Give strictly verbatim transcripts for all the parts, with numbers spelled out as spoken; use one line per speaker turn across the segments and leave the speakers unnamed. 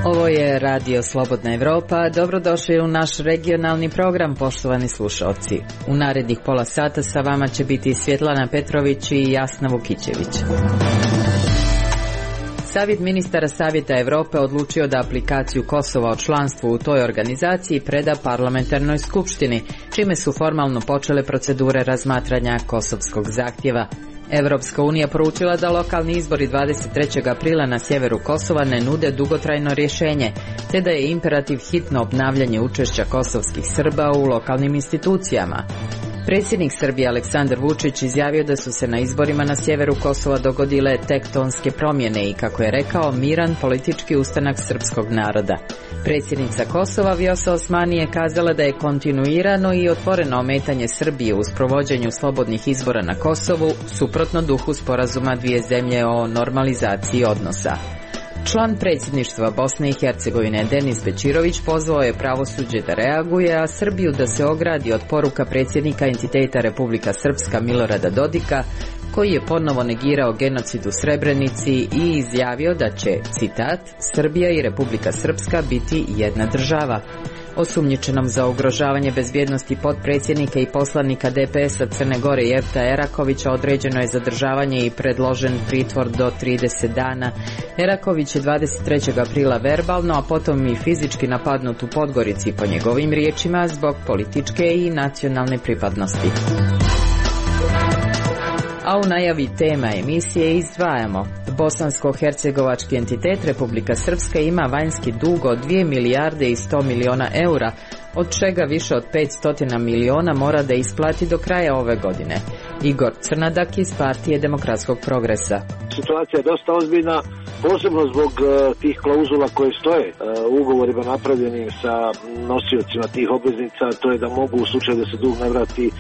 Ovo je Radio Slobodna Evropa. Dobrodošli u naš regionalni program, poštovani slušalci. U narednih pola sata sa vama će biti Svjetlana Petrović i Jasna Vukićević. Savjet ministara Savjeta Evrope odlučio da aplikaciju Kosova o članstvu u toj organizaciji preda parlamentarnoj skupštini, čime su formalno počele procedure razmatranja kosovskog zahtjeva. Evropska unija poručila da lokalni izbori dvadeset trećeg aprila na sjeveru Kosova ne nude dugotrajno rješenje, te da je imperativ hitno obnavljanje učešća kosovskih Srba u lokalnim institucijama. Predsjednik Srbije Aleksandar Vučić izjavio da su se na izborima na sjeveru Kosova dogodile tektonske promjene i, kako je rekao, miran politički ustanak srpskog naroda. Predsjednica Kosova Vjosa Osmani je kazala da je kontinuirano i otvoreno ometanje Srbije u sprovođenju slobodnih izbora na Kosovu suprotno duhu sporazuma dvije zemlje o normalizaciji odnosa. Član predsjedništva Bosne i Hercegovine Denis Bećirović pozvao je pravosuđe da reaguje, a Srbiju da se ogradi od poruka predsjednika entiteta Republika Srpska Milorada Dodika, koji je ponovo negirao genocid u Srebrenici i izjavio da će, citat, Srbija i Republika Srpska biti jedna država. Osumnjičenom za ugrožavanje bezbjednosti potpredsjednika i poslanika D P S-a Crne Gore Jefta Erakovića određeno je zadržavanje i predložen pritvor do trideset dana. Eraković je dvadeset trećeg aprila verbalno, a potom i fizički napadnut u Podgorici, po njegovim riječima, zbog političke i nacionalne pripadnosti. A u najavi tema emisije izdvajamo: bosansko-hercegovački entitet Republika Srpska ima vanjski dug od dvije milijarde i sto miliona eura, od čega više od petsto miliona mora da isplati do kraja ove godine. Igor Crnadak iz Partije demokratskog progresa.
Situacija je dosta ozbiljna, posebno zbog uh, tih klauzula koje stoje uh, u ugovorima napravljenim sa nosiocima tih obveznica, to je da mogu u slučaju da se dug ne vrati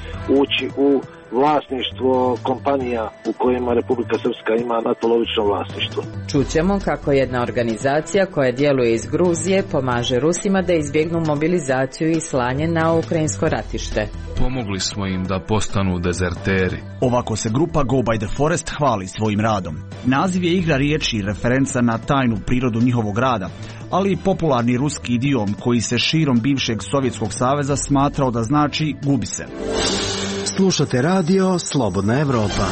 ući u vlasništvo kompanija u kojima Republika Srpska ima natpolovično vlasništvo.
Čućemo kako jedna organizacija koja djeluje iz Gruzije pomaže Rusima da izbjegnu mobilizaciju i slanje na ukrajinsko ratište.
Pomogli smo im da postanu dezerteri.
Ovako se grupa Go by the Forest hvali svojim radom. Naziv je igra riječi i referenca na tajnu prirodu njihovog rada, ali i popularni ruski idiom koji se širom bivšeg Sovjetskog saveza smatrao da znači gubi se.
Slušate radio Slobodna Evropa.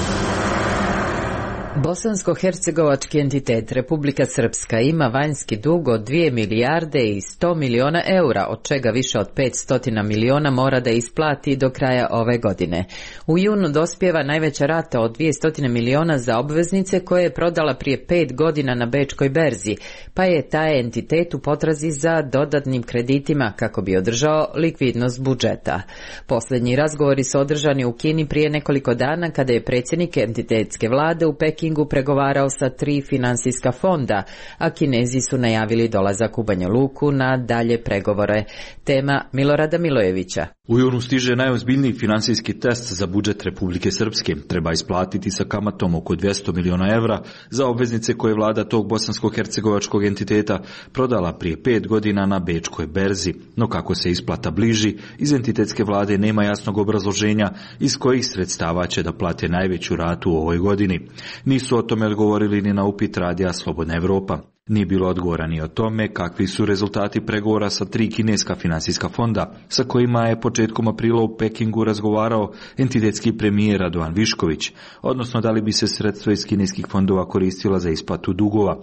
Bosansko-hercegovački entitet Republika Srpska ima vanjski dug od dvije milijarde i sto miliona eura, od čega više od petsto miliona mora da isplati do kraja ove godine. U junu dospijeva najveća rata od dvjesto miliona za obveznice koje je prodala prije pet godina na bečkoj berzi, pa je taj entitet u potrazi za dodatnim kreditima kako bi održao likvidnost budžeta. Posljednji razgovori su održani u Kini prije nekoliko dana, kada je predsjednik entitetske vlade u Pekingu pregovarao sa tri finansijska fonda, a Kinezi su najavili dolazak u Banja Luku na dalje pregovore. Tema Milorada Milojevića.
U junu stiže najozbiljniji finansijski test za budžet Republike Srpske. Treba isplatiti sa kamatom oko dvjesto miliona evra za obveznice koje vlada tog bosansko-hercegovačkog entiteta prodala prije pet godina na bečkoj berzi. No kako se isplata bliži, iz entitetske vlade nema jasnog obrazloženja iz kojih sredstava će da plate najveću ratu u ovoj godini. Nisu o tome odgovorili ni na upit radija Slobodna Evropa. Nije bilo odgovora ni o tome kakvi su rezultati pregovora sa tri kineska finansijska fonda, sa kojima je početkom aprila u Pekingu razgovarao entitetski premijer Radovan Višković, odnosno da li bi se sredstva iz kineskih fondova koristila za isplatu dugova.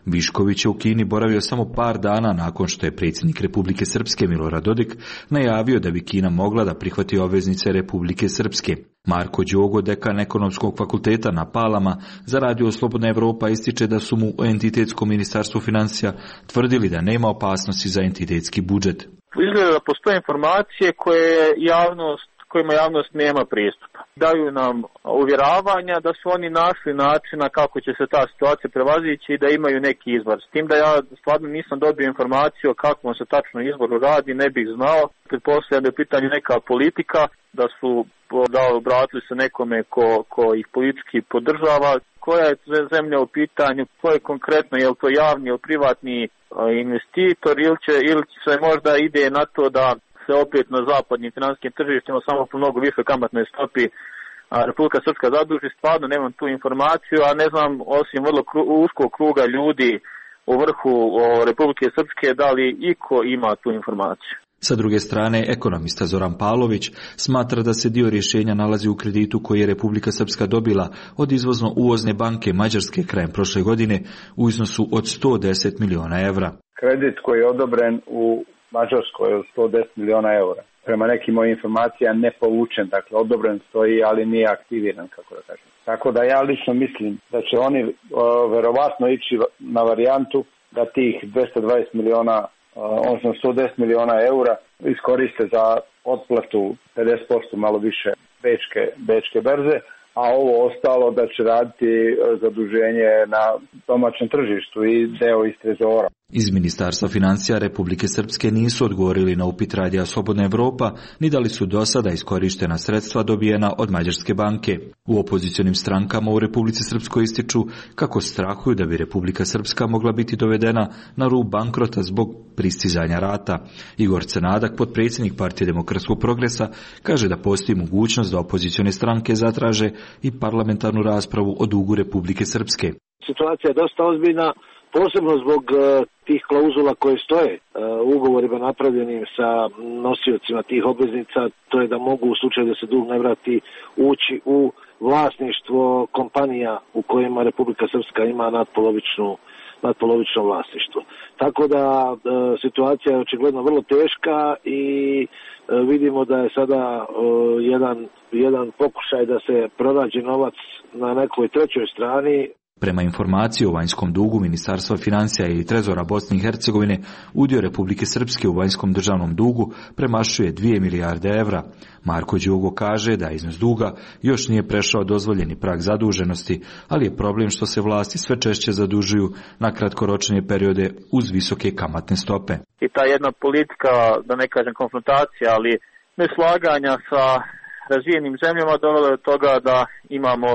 Višković je u Kini boravio samo par dana nakon što je predsjednik Republike Srpske Milorad Dodik najavio da bi Kina mogla da prihvati obveznice Republike Srpske. Marko Đogo, dekan ekonomskog fakulteta na Palama, za radio Slobodna Evropa ističe da su mu u entitetskom ministarstvu financija tvrdili da nema opasnosti za entitetski budžet.
Izgleda da postoje informacije koje javnost, kojima javnost nema pristupa. Daju nam uvjeravanja da su oni našli načina kako će se ta situacija prevazići i da imaju neki izbor. S tim da ja stvarno nisam dobio informaciju o kakvom se tačno izboru radi, ne bih znao. Pretpostavljam da je u pitanju neka politika, da su da obratili se nekome ko, ko ih politički podržava. Koja je zemlja u pitanju, ko je konkretno, je li to javni ili privatni investitor ili će, ili će se možda ide na to da se opet na zapadnim finansijskim tržištima samo po mnogo više kamatnoj stopi Republika Srpska zaduži, stvarno nemam tu informaciju, a ne znam, osim vrlo kru, uskog kruga ljudi u vrhu o, Republike Srpske, da li iko ima tu informaciju.
Sa druge strane, ekonomista Zoran Pavlović smatra da se dio rješenja nalazi u kreditu koji je Republika Srpska dobila od izvozno-uvozne banke Mađarske krajem prošle godine u iznosu od sto deset miliona evra.
Kredit koji je odobren u Mađarskoj od sto deset miliona evra. Prema nekim mojim informacijama ne povučen, dakle odobren stoji, ali nije aktiviran, kako da kažem. Tako da ja lično mislim da će oni o, verovatno ići na varijantu da tih dvesta dvadeset miliona, odnosno sto deset miliona eura iskoriste za otplatu pedeset posto malo više bečke, bečke berze, a ovo ostalo da će raditi zaduženje na domaćem tržištu i deo iz trezora.
Iz Ministarstva financija Republike Srpske nisu odgovorili na upit Radija Slobodna Evropa, ni da li su do sada iskorištena sredstva dobijena od Mađarske banke. U opozicionim strankama u Republici Srpskoj ističu kako strahuju da bi Republika Srpska mogla biti dovedena na rub bankrota zbog pristizanja rata. Igor Cenadak, potpredsjednik Partije demokratskog progresa, kaže da postoji mogućnost da opozicione stranke zatraže i parlamentarnu raspravu o dugu Republike Srpske.
Situacija je dosta ozbiljna, posebno zbog uh, tih klauzula koje stoje uh, u ugovorima napravljenim sa nosiocima tih obveznica, to je da mogu u slučaju da se dug ne vrati ući u vlasništvo kompanija u kojima Republika Srpska ima nadpolovičnu nadpolovično vlasništvo. Tako da uh, situacija je očigledno vrlo teška i uh, vidimo da je sada uh, jedan, jedan pokušaj da se pronađe novac na nekoj trećoj strani.
Prema informaciji o vanjskom dugu Ministarstva financija i Trezora Bosne i Hercegovine, udio Republike Srpske u vanjskom državnom dugu premašuje dvije milijarde evra. Marko Đugo kaže da iznos duga još nije prešao dozvoljeni prag zaduženosti, ali je problem što se vlasti sve češće zadužuju na kratkoročne periode uz visoke kamatne stope.
I ta jedna politika, da ne kažem konfrontacija, ali neslaganja sa razvijenim zemljama dovela do toga da imamo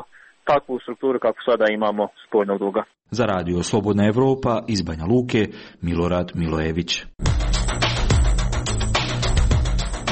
takvu strukturu kako sada imamo spoljnog duga.
Za Radio Slobodna Evropa iz Banja Luke, Milorad Milojević.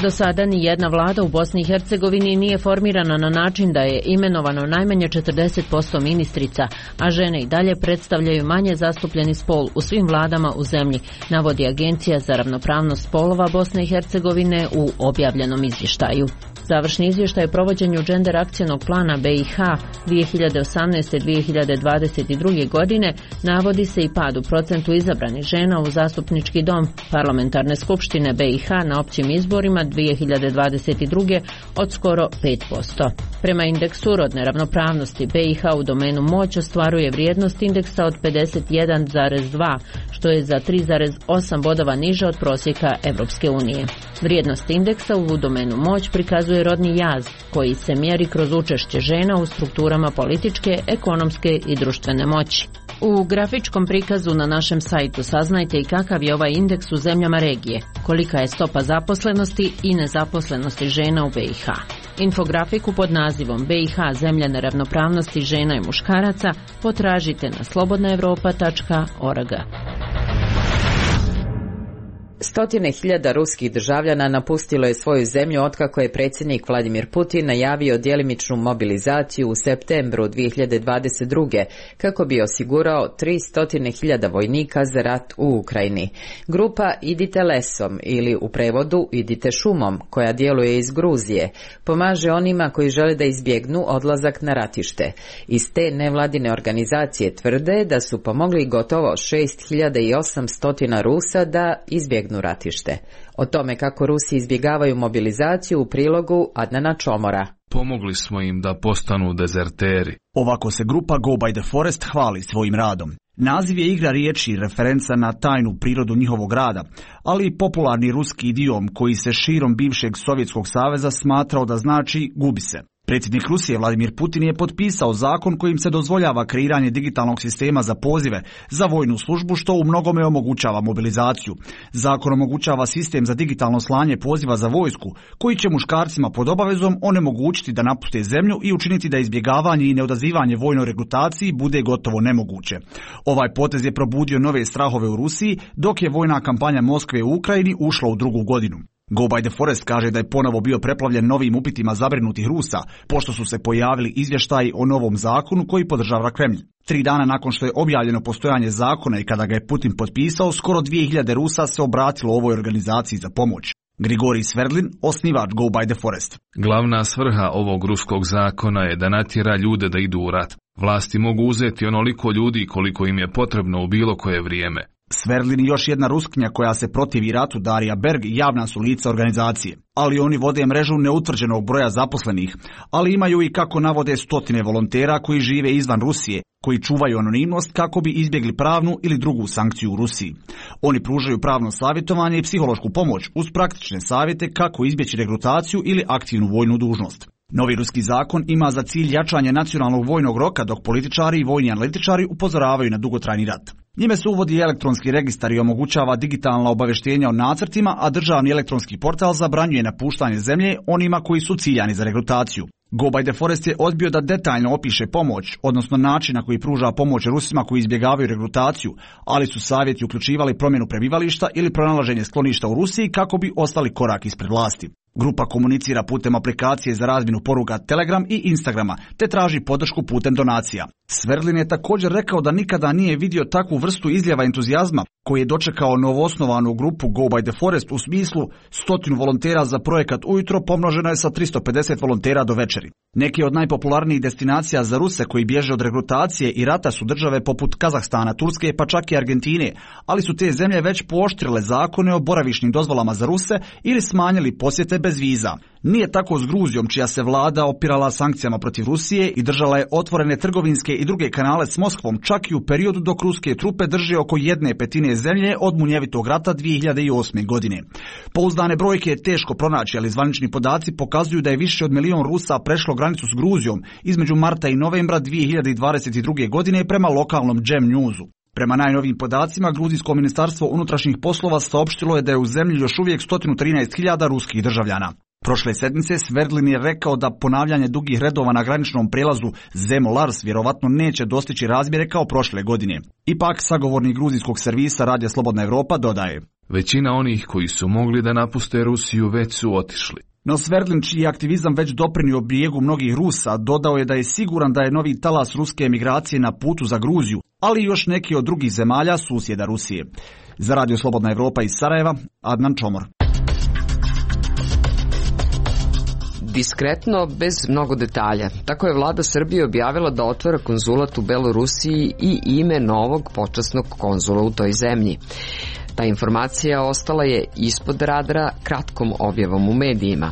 Do sada ni jedna vlada u Bosni i Hercegovini nije formirana na način da je imenovano najmanje četrdeset posto ministrica, a žene i dalje predstavljaju manje zastupljeni spol u svim vladama u zemlji, navodi Agencija za ravnopravnost spolova Bosne i Hercegovine u objavljenom izvještaju. Završni izvještaj o provođenju Gender akcionog plana B i H dvije hiljade osamnaeste do dvije hiljade dvadeset druge. godine navodi se i pad u procentu izabranih žena u zastupnički dom Parlamentarne skupštine B i H na općim izborima dvije hiljade dvadeset druge. od skoro pet posto. Prema indeksu rodne ravnopravnosti B i H u domenu moć ostvaruje vrijednost indeksa od pedeset jedan zarez dva, što je za tri zarez osam bodova niže od prosjeka Evropske unije. Vrijednost indeksa u domenu moć prikazuje rodni jaz, koji se mjeri kroz učešće žena u strukturama političke, ekonomske i društvene moći. U grafičkom prikazu na našem sajtu saznajte i kakav je ovaj indeks u zemljama regije, kolika je stopa zaposlenosti i nezaposlenosti žena u B i H. Infografiku pod nazivom B i H zemlja neravnopravnosti žena i muškaraca potražite na slobodna evropa tačka org.
Stotine hiljada ruskih državljana napustilo je svoju zemlju otkako je predsjednik Vladimir Putin najavio djelimičnu mobilizaciju u septembru dvije hiljade dvadeset druge. kako bi osigurao tristo hiljada vojnika za rat u Ukrajini. Grupa Idite lesom ili u prevodu Idite šumom, koja djeluje iz Gruzije, pomaže onima koji žele da izbjegnu odlazak na ratište. Iz te nevladine organizacije tvrde da su pomogli gotovo šest hiljada osamsto Rusa da izbjegnu ratište. O tome kako Rusi izbjegavaju mobilizaciju u prilogu Adnana Čomora.
Pomogli smo im da postanu dezerteri.
Ovako se grupa Go by the Forest hvali svojim radom. Naziv je igra riječi, referenca na tajnu prirodu njihovog rada, ali i popularni ruski idiom koji se širom bivšeg Sovjetskog saveza smatrao da znači gubi se. Predsjednik Rusije Vladimir Putin je potpisao zakon kojim se dozvoljava kreiranje digitalnog sistema za pozive za vojnu službu, što u mnogome omogućava mobilizaciju. Zakon omogućava sistem za digitalno slanje poziva za vojsku, koji će muškarcima pod obavezom onemogućiti da napuste zemlju i učiniti da izbjegavanje i neodazivanje vojnoj regrutaciji bude gotovo nemoguće. Ovaj potez je probudio nove strahove u Rusiji, dok je vojna kampanja Moskve u Ukrajini ušla u drugu godinu. Go by the Forest kaže da je ponovo bio preplavljen novim upitima zabrinutih Rusa, pošto su se pojavili izvještaji o novom zakonu koji podržava Kremlj. Tri dana nakon što je objavljeno postojanje zakona i kada ga je Putin potpisao, skoro dvije hiljade Rusa se obratilo ovoj organizaciji za pomoć. Grigorij Sverdlin, osnivač Go by the Forest.
Glavna svrha ovog ruskog zakona je da natjera ljude da idu u rat. Vlasti mogu uzeti onoliko ljudi koliko im je potrebno u bilo koje vrijeme.
Sverdlin i još jedna Ruskinja koja se protivi ratu, Darija Berg, javna su lica organizacije. Ali oni vode mrežu neutvrđenog broja zaposlenih, ali imaju i, kako navode, stotine volontera koji žive izvan Rusije, koji čuvaju anonimnost kako bi izbjegli pravnu ili drugu sankciju u Rusiji. Oni pružaju pravno savjetovanje i psihološku pomoć uz praktične savjete kako izbjeći regrutaciju ili aktivnu vojnu dužnost. Novi ruski zakon ima za cilj jačanje nacionalnog vojnog roka, dok političari i vojni analitičari upozoravaju na dugotrajni rat. Njime se uvodi elektronski registar i omogućava digitalna obavještenja o nacrtima, a državni elektronski portal zabranjuje napuštanje zemlje onima koji su ciljani za regrutaciju. Go by the Forest je odbio da detaljno opiše pomoć, odnosno način na koji pruža pomoć Rusima koji izbjegavaju regrutaciju, ali su savjeti uključivali promjenu prebivališta ili pronalaženje skloništa u Rusiji kako bi ostali korak ispred vlasti. Grupa komunicira putem aplikacije za razmjenu poruka Telegram i Instagrama, te traži podršku putem donacija. Sverdlin je također rekao da nikada nije vidio takvu vrstu izljeva entuzijazma koji je dočekao novoosnovanu grupu Go by the Forest u smislu stotinu volontera za projekat ujutro pomnoženo je sa tristo pedeset volontera do večeri. Neki od najpopularnijih destinacija za Ruse koji bježe od regrutacije i rata su države poput Kazahstana, Turske pa čak i Argentine, ali su te zemlje već pooštrile zakone o boravišnim dozvolama za Ruse ili smanjili posjete bez viza. Nije tako s Gruzijom, čija se vlada opirala sankcijama protiv Rusije i držala je otvorene trgovinske i druge kanale s Moskvom čak i u periodu dok ruske trupe drže oko jedne petine zemlje od munjevitog rata dvije hiljade osme. godine. Pouzdane brojke je teško pronaći, ali zvanični podaci pokazuju da je više od milion Rusa prešlo granicu s Gruzijom između marta i novembra dvije hiljade dvadeset druge. godine prema lokalnom Džem Newsu. Prema najnovijim podacima, Gruzijsko ministarstvo unutrašnjih poslova saopštilo je da je u zemlji još uvijek sto trinaest hiljada ruskih državljana. Prošle sedmice Sverdlin je rekao da ponavljanje dugih redova na graničnom prijelazu Zemo-Lars vjerovatno neće dostići razmjere kao prošle godine. Ipak, sagovornik gruzijskog servisa Radija Slobodna Evropa dodaje:
Većina onih koji su mogli da napuste Rusiju već su otišli.
No Sverdlin, čiji je aktivizam već doprinio bijegu mnogih Rusa, dodao je da je siguran da je novi talas ruske emigracije na putu za Gruziju, ali i još neki od drugih zemalja susjeda Rusije. Za Radio Slobodna Evropa iz Sarajeva, Adnan Čomor.
Diskretno, bez mnogo detalja. Tako je vlada Srbije objavila da otvara konzulat u Belorusiji i ime novog počasnog konzula u toj zemlji. Ta informacija ostala je ispod radara kratkom objavom u medijima.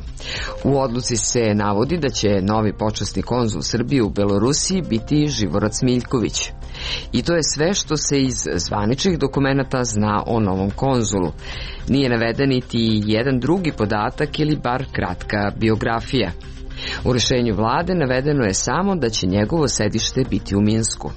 U odluci se navodi da će novi počasni konzul Srbije u Belorusiji biti Živorad Smiljković. I to je sve što se iz zvaničnih dokumenata zna o novom konzulu. Nije naveden niti jedan drugi podatak ili bar kratka biografija. U rješenju vlade navedeno je samo da će njegovo sedište biti u Minsku.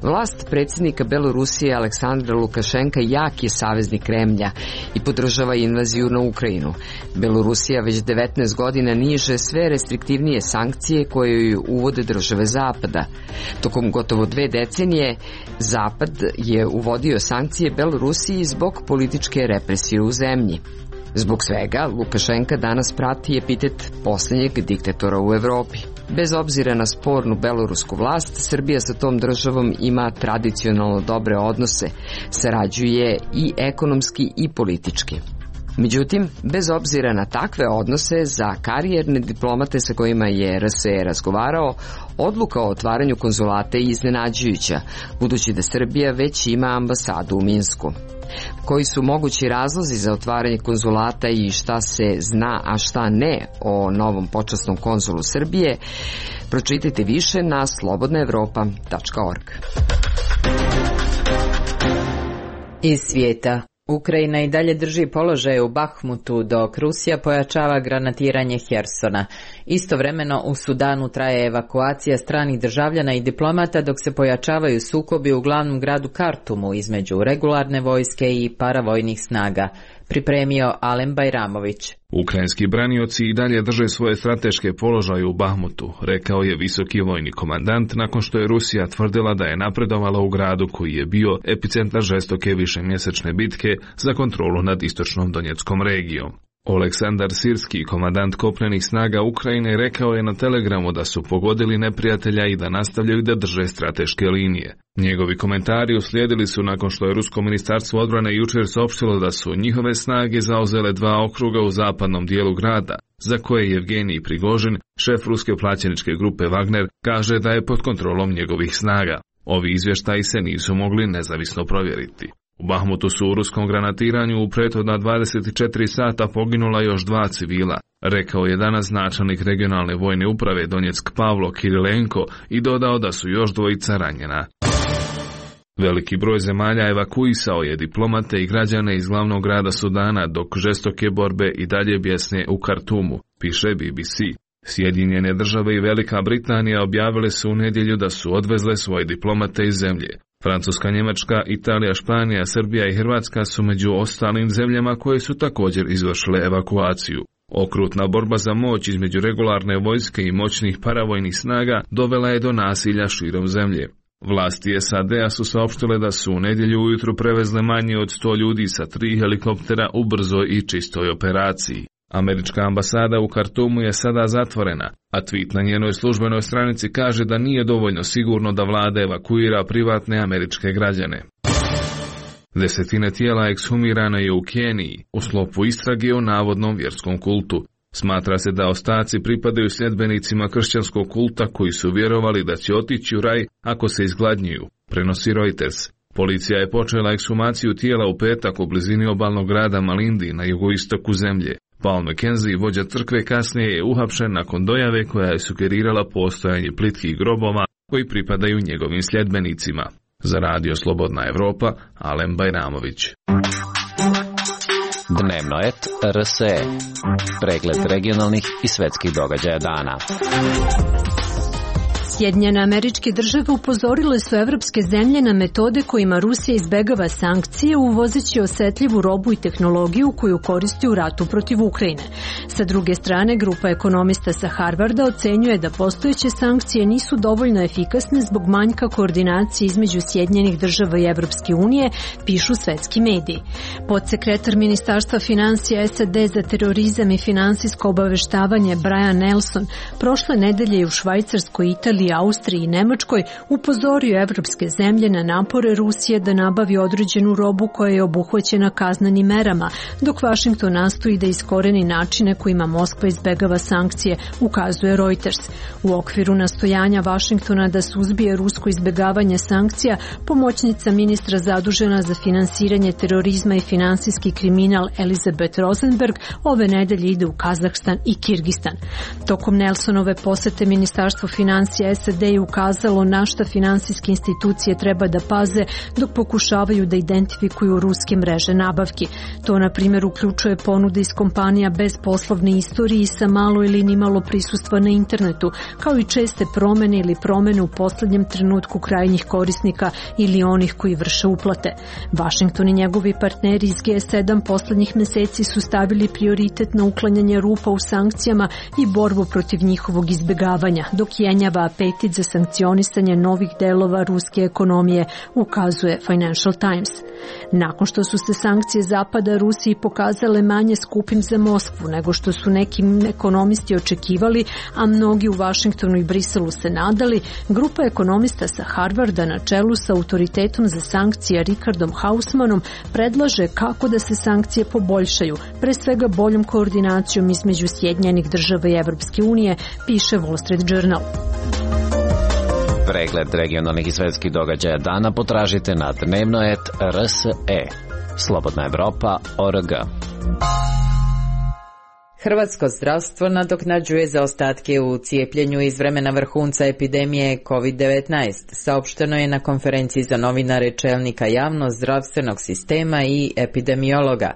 Vlast predsjednika Belorusije Aleksandra Lukašenka jak je saveznik Kremlja i podržava invaziju na Ukrajinu. Belorusija već devetnaest godina niže sve restriktivnije sankcije koje ju uvode države Zapada. Tokom gotovo dve decenije Zapad je uvodio sankcije Belorusiji zbog političke represije u zemlji. Zbog svega, Lukašenka danas prati epitet posljednjeg diktatora u Evropi. Bez obzira na spornu belorusku vlast, Srbija sa tom državom ima tradicionalno dobre odnose, sarađuje i ekonomski i politički. Međutim, bez obzira na takve odnose, za karijerne diplomate sa kojima je R S E razgovarao, odluka o otvaranju konzulata je iznenađujuća, budući da Srbija već ima ambasadu u Minsku. Koji su mogući razlozi za otvaranje konzulata i šta se zna, a šta ne o novom počasnom konzulu Srbije, pročitajte više na slobodna evropa tačka org.
Iz svijeta. Ukrajina i dalje drži položaje u Bahmutu dok Rusija pojačava granatiranje Hersona. Istovremeno u Sudanu traje evakuacija stranih državljana i diplomata dok se pojačavaju sukobi u glavnom gradu Kartumu između regularne vojske i paravojnih snaga. Pripremio Alen Bajramović.
Ukrajinski branioci i dalje drže svoje strateške položaje u Bahmutu, rekao je visoki vojni komandant nakon što je Rusija tvrdila da je napredovala u gradu koji je bio epicentar žestoke višemjesečne bitke za kontrolu nad istočnom Donjeckom regijom. Oleksandar Sirski, komandant kopnenih snaga Ukrajine, rekao je na Telegramu da su pogodili neprijatelja i da nastavljaju da drže strateške linije. Njegovi komentari uslijedili su nakon što je Rusko ministarstvo odbrane jučer saopštilo da su njihove snage zauzele dva okruga u zapadnom dijelu grada, za koje Jevgenij Prigožin, šef ruske plaćeničke grupe Wagner, kaže da je pod kontrolom njegovih snaga. Ovi izvještaji se nisu mogli nezavisno provjeriti. U Bahmutu su u ruskom granatiranju u prethodna dvadeset četiri sata poginula još dva civila, rekao je danas načelnik regionalne vojne uprave Donjeck Pavlo Kirilenko i dodao da su još dvojica ranjena. Veliki broj zemalja evakuisao je diplomate i građane iz glavnog grada Sudana dok žestoke borbe i dalje bjesne u Kartumu, piše B B C. Sjedinjene države i Velika Britanija objavile su u nedjelju da su odvezle svoje diplomate iz zemlje. Francuska, Njemačka, Italija, Španija, Srbija i Hrvatska su među ostalim zemljama koje su također izvršile evakuaciju. Okrutna borba za moć između regularne vojske i moćnih paravojnih snaga dovela je do nasilja širom zemlje. Vlasti S A D-a su saopštile da su u nedjelju ujutru prevezle manje od sto ljudi sa tri helikoptera u brzoj i čistoj operaciji. Američka ambasada u Kartumu je sada zatvorena, a tweet na njenoj službenoj stranici kaže da nije dovoljno sigurno da vlada evakuira privatne američke građane. Desetine tijela ekshumirano je u Keniji u sklopu istrage o navodnom vjerskom kultu. Smatra se da ostaci pripadaju sljedbenicima kršćanskog kulta koji su vjerovali da će otići u raj ako se izgladnjuju, prenosi Reuters. Policija je počela ekshumaciju tijela u petak u blizini obalnog grada Malindi na jugoistoku zemlje. Paul McKenzie, vođa crkve, kasnije je uhapšen nakon dojave koja je sugerirala postojanje plitkih grobova koji pripadaju njegovim sljedbenicima. Za Radio Slobodna Evropa, Alen Bajramović.
Dnevno et R S E. Pregled regionalnih i svetskih događaja dana.
Sjedinjene Američke Države upozorile su evropske zemlje na metode kojima Rusija izbegava sankcije uvozeći osetljivu robu i tehnologiju koju koristi u ratu protiv Ukrajine. Sa druge strane, grupa ekonomista sa Harvarda ocenjuje da postojeće sankcije nisu dovoljno efikasne zbog manjka koordinacije između Sjedinjenih Država i Evropske unije, pišu svetski mediji. Podsekretar Ministarstva financija S A D za terorizam i finansijsko obaveštavanje Brian Nelson prošle nedelje u Švajcarskoj, Italiji, Austriji i Nemačkoj upozorio evropske zemlje na napore Rusije da nabavi određenu robu koja je obuhvaćena kaznenim merama, dok Vašington nastoji da iskoreni načine kojima Moskva izbegava sankcije, ukazuje Reuters. U okviru nastojanja Vašingtona da suzbije rusko izbegavanje sankcija, pomoćnica ministra zadužena za finansiranje terorizma i finansijski kriminal Elizabeth Rosenberg ove nedelje ide u Kazahstan i Kirgistan. Tokom Nelsonove posete Ministarstvo financija S A D je ukazalo na šta finansijske institucije treba da paze dok pokušavaju da identifikuju ruske mreže nabavki. To, na primjer, uključuje ponude iz kompanija bez poslovne istorije i sa malo ili nimalo prisustva na internetu, kao i česte promene ili promene u posljednjem trenutku krajnjih korisnika ili onih koji vrše uplate. Vašington i njegovi partneri iz G sedam posljednjih meseci su stavili prioritet na uklanjanje rupa u sankcijama i borbu protiv njihovog izbjegavanja, dok jenjava apetit za sankcionisanje novih delova ruske ekonomije, ukazuje Financial Times. Nakon što su se sankcije Zapada Rusiji pokazale manje skupim za Moskvu nego što su neki ekonomisti očekivali, a mnogi u Vašingtonu i Briselu se nadali, grupa ekonomista sa Harvarda na čelu sa autoritetom za sankcije Richardom Hausmanom predlaže kako da se sankcije poboljšaju, pre svega boljom koordinacijom između Sjedinjenih Država i Evropske unije, piše Wall Street Journal.
Pregled regionalnih i svetskih događaja dana potražite na dnevno et R S E. Slobodna Evropa, O R G.
Hrvatsko zdravstvo nadoknađuje zaostatke u cijepljenju iz vremena vrhunca epidemije kovid devetnaest, saopšteno je na konferenciji za novinare čelnika javno-zdravstvenog sistema i epidemiologa.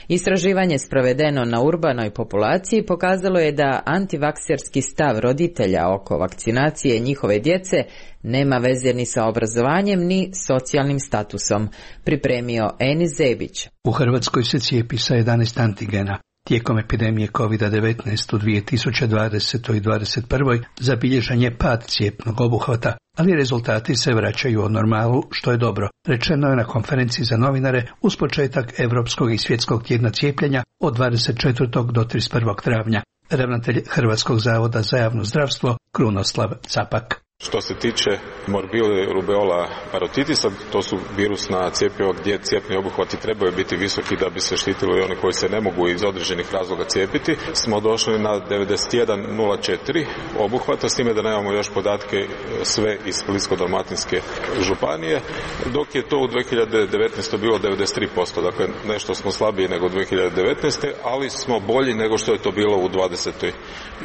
Istraživanje sprovedeno na urbanoj populaciji pokazalo je da antivakserski stav roditelja oko vakcinacije njihove djece nema veze ni sa obrazovanjem ni socijalnim statusom, pripremio Enis Zebić.
U Hrvatskoj se cijepi sa jedanaest antigena. Tijekom epidemije kovid devetnaest u dvije tisuće dvadesetoj i dvadeset prvoj zabilježen je pad cijepnog obuhvata, ali rezultati se vraćaju u normalu, što je dobro. Rečeno je na konferenciji za novinare uz početak Evropskog i svjetskog tjedna cijepljenja od dvadeset četvrtog do trideset prvog travnja. Ravnatelj Hrvatskog zavoda za javno zdravstvo Krunoslav Capak.
Što se tiče morbili, rubeola, parotitisa, to su virusna cjepiva gdje cijepni obuhvati trebaju biti visoki da bi se štitili oni koji se ne mogu iz određenih razloga cijepiti. Smo došli na devedeset jedan nula četiri obuhvata, s time da nemamo još podatke sve iz Splitsko-dalmatinske županije, dok je to u dvije hiljade devetnaestoj bilo devedeset tri posto, dakle nešto smo slabiji nego u dvije hiljade devetnaestoj ali smo bolji nego što je to bilo u dvadesetoj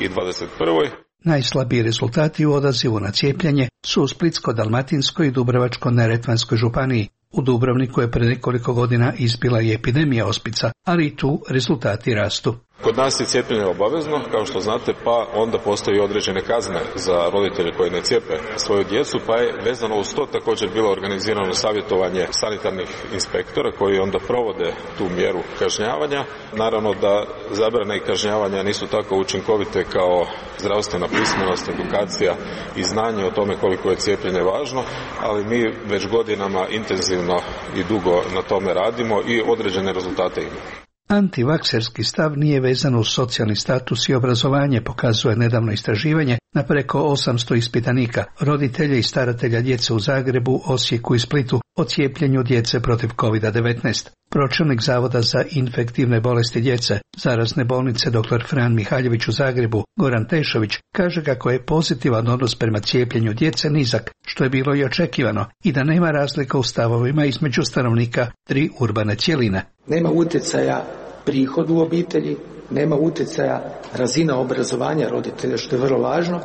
i dvadeset prvoj
Najslabiji rezultati u odazivu na cijepljenje su u Splitsko-dalmatinskoj i Dubrovačko-neretvanskoj županiji. U Dubrovniku je pred nekoliko godina izbila i epidemija ospica, ali i tu rezultati rastu.
Kod nas je cijepljenje obavezno, kao što znate, pa onda postoji određene kazne za roditelje koji ne cijepe svoju djecu, pa je vezano uz to također bilo organizirano savjetovanje sanitarnih inspektora koji onda provode tu mjeru kažnjavanja. Naravno da zabrane i kažnjavanja nisu tako učinkovite kao zdravstvena pismenost, edukacija i znanje o tome koliko je cijepljenje važno, ali mi već godinama intenzivno i dugo na tome radimo i određene rezultate imamo.
Antivakserski stav nije vezan uz socijalni status i obrazovanje, pokazuje nedavno istraživanje na preko osamsto ispitanika, roditelja i staratelja djece u Zagrebu, Osijeku i Splitu o cijepljenju djece protiv kovid devetnaest. Pročelnik Zavoda za infektivne bolesti djece, zarazne bolnice dr. Fran Mihaljević u Zagrebu, Goran Tešović, kaže kako je pozitivan odnos prema cijepljenju djece nizak, što je bilo i očekivano, i da nema razlika u stavovima između stanovnika tri urbane cjeline.
Nema utjecaja prihod u obitelji, nema utjecaja razina obrazovanja roditelja, što je vrlo važno.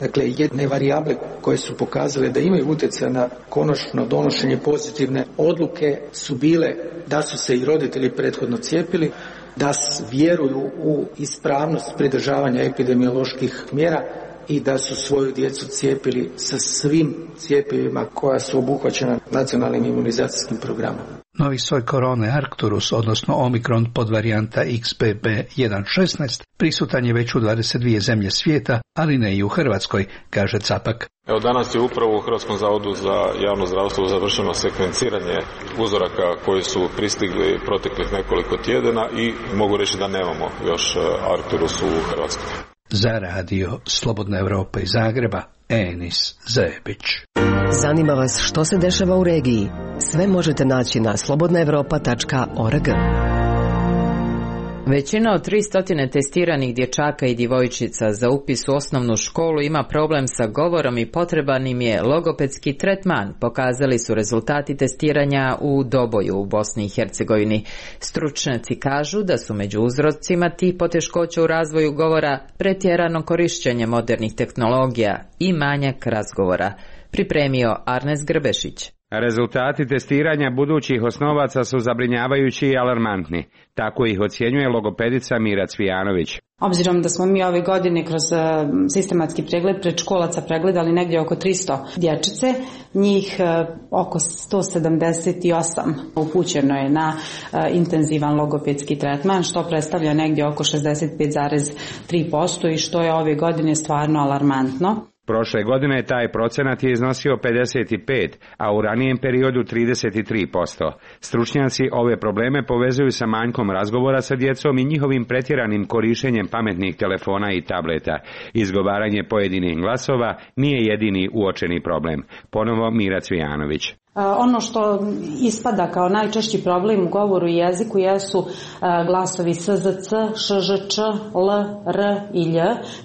Dakle, jedne varijable koje su pokazale da imaju utjecaj na konačno donošenje pozitivne odluke su bile da su se i roditelji prethodno cijepili, da vjeruju u ispravnost pridržavanja epidemioloških mjera i da su svoju djecu cijepili sa svim cjepivima koja su obuhvaćena nacionalnim imunizacijskim programom.
Novi soj korone Arcturus, odnosno Omikron podvarijanta X B B jedan šesnaest, prisutan je već u dvadeset dvije zemlje svijeta, ali ne i u Hrvatskoj, kaže Capak.
Evo danas je upravo u Hrvatskom zavodu za javno zdravstvo završeno sekvenciranje uzoraka koji su pristigli proteklih nekoliko tjedana i mogu reći da nemamo još Arcturus u Hrvatskoj.
Za radio Slobodna Evropa iz Zagreba, Enis Zebić.
Zanima vas što se dešava u regiji? Sve možete naći na slobodna evropa tačka org.
Većina od tristo testiranih dječaka i djevojčica za upis u osnovnu školu ima problem sa govorom i potreban im je logopedski tretman, pokazali su rezultati testiranja u Doboju u Bosni i Hercegovini. Stručnjaci kažu da su među uzrocima tih poteškoća u razvoju govora pretjerano korišćenje modernih tehnologija i manjak razgovora. Pripremio Arnes Grbešić.
Rezultati testiranja budućih osnovaca su zabrinjavajući i alarmantni. Tako ih ocjenjuje logopedica Mira Cvijanović.
Obzirom da smo mi ove godine kroz sistematski pregled predškolaca pregledali negdje oko tristo dječice, njih oko sto sedamdeset osam upućeno je na intenzivan logopedski tretman, što predstavlja negdje oko šezdeset pet zarez tri posto i što je ove godine stvarno alarmantno.
Prošle godine taj procenat je iznosio pedeset pet, a u ranijem periodu trideset tri posto. Stručnjaci ove probleme povezuju sa manjkom razgovora sa djecom i njihovim pretjeranim korištenjem pametnih telefona i tableta. Izgovaranje pojedinih glasova nije jedini uočeni problem. Ponovo Mira Cvijanović.
Ono što ispada kao najčešći problem u govoru i jeziku jesu glasovi S Z C, Š Ž Č, L, R i Lj.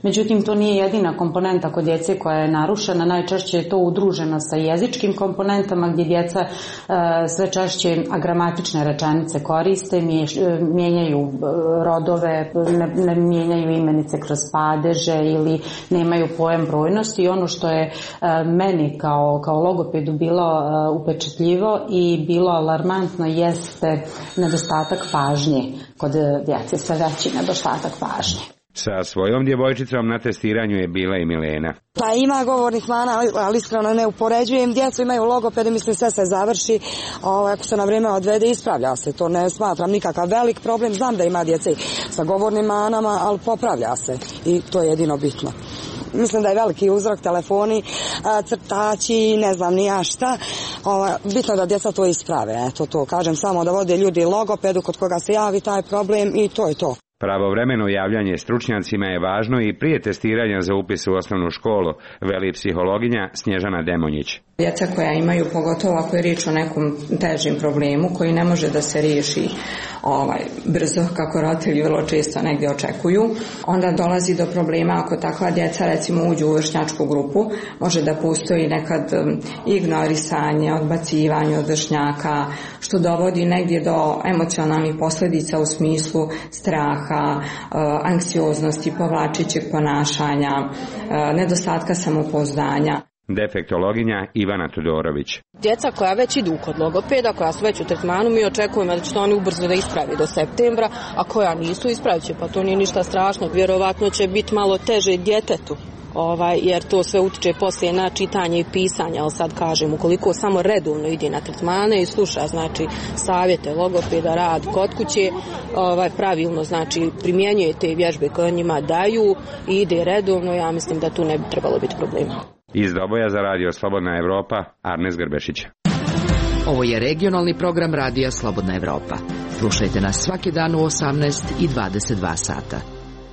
Međutim, to nije jedina komponenta kod djece koja je narušena. Najčešće je to udruženo sa jezičkim komponentama gdje djeca sve češće agramatične rečenice koriste, mijenjaju rodove, ne mijenjaju imenice kroz padeže ili nemaju pojam brojnosti. I ono što je meni kao, kao logopedu bilo upečatljivo i bilo alarmantno jeste nedostatak pažnje kod djece, sve veći nedostatak pažnje.
Sa svojom djevojčicom na testiranju je bila i Milena.
Pa ima govornih mana, ali iskreno ne upoređujem. Djecu imaju logopede, mislim sve se završi. O, ako se na vrijeme odvede, ispravlja se. To ne smatram nikakav velik problem. Znam da ima djece sa govornim manama, ali popravlja se. I to je jedino bitno. mislim da je veliki uzrok telefoni, crtači, ne znam ni ja šta. Ova, bitno je da djeca to isprave, eto to kažem, samo da vode ljudi logopedu kod koga se javi taj problem i to je to.
Pravovremeno javljanje stručnjacima je važno i prije testiranja za upis u osnovnu školu, veli psihologinja Snježana Demonjić.
Djeca koja imaju, pogotovo ako je riječ o nekom težim problemu koji ne može da se riješi ovaj, brzo, kako roditelji vrlo često negdje očekuju, onda dolazi do problema ako takva djeca recimo uđu u vršnjačku grupu, može da postoji nekad ignorisanje, odbacivanje od vršnjaka, što dovodi negdje do emocionalnih posljedica u smislu straha, anksioznosti, povlačićeg ponašanja, nedostatka samopouzdanja.
Defektologinja Ivana Tudorović.
Djeca koja već idu kod logopeda, koja su već u tretmanu, mi očekujemo da će to oni ubrzo da ispravi do septembra, a koja nisu ispravit će, pa to nije ništa strašno. Vjerovatno će biti malo teže djetetu, ovaj, jer to sve utiče poslije na čitanje i pisanje, ali sad kažem, ukoliko samo redovno ide na tretmane i sluša, znači, savjete logopeda, rad kod kuće, ovaj, pravilno, znači, primjenjuje te vježbe koje njima daju i ide redovno, ja mislim da tu ne bi trebalo biti problema.
Iz Doboja za radio Slobodna Evropa, Arnes Grbešić.
Ovo je regionalni program radija Slobodna Evropa. Slušajte nas svaki dan u osamnaest i dvadeset dva sata.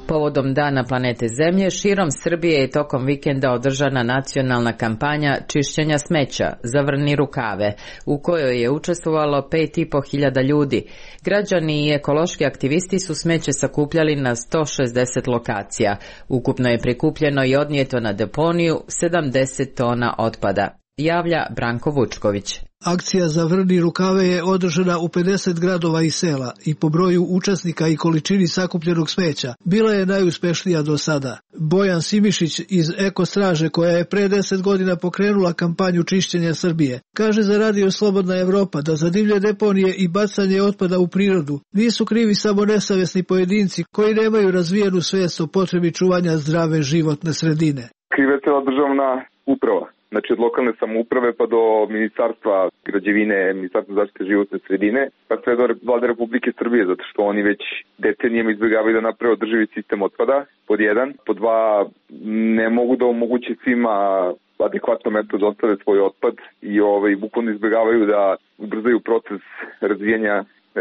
Povodom Dana planete Zemlje, širom Srbije je tokom vikenda održana nacionalna kampanja čišćenja smeća Zavrni rukave, u kojoj je učestvovalo pet i po hiljada ljudi. Građani i ekološki aktivisti su smeće sakupljali na sto šezdeset lokacija. Ukupno je prikupljeno i odnijeto na deponiju sedamdeset tona otpada. Javlja Branko Vučković.
Akcija Zavrni rukave je održana u pedeset gradova i sela i po broju učesnika i količini sakupljenog smeća bila je najuspešnija do sada. Bojan Simišić iz Eko Straže, koja je pre deset godina pokrenula kampanju čišćenja Srbije, kaže za radio Slobodna Evropa da za divlje deponije i bacanje otpada u prirodu nisu krivi samo nesavjesni pojedinci koji nemaju razvijenu svijest o potrebi čuvanja zdrave životne sredine.
Kriva je cijela državna uprava. Znači od lokalne samouprave pa do ministarstva građevine, ministarstva zaštite životne sredine, pa sve do vlade Republike Srbije, zato što oni već decenijama izbjegavaju da naprave održivi sistem otpada, pod jedan. Pod dva, ne mogu da omoguće svima adekvatno mesto da ostave svoj otpad i ovaj, bukvalno izbjegavaju da ubrzaju proces razvijenja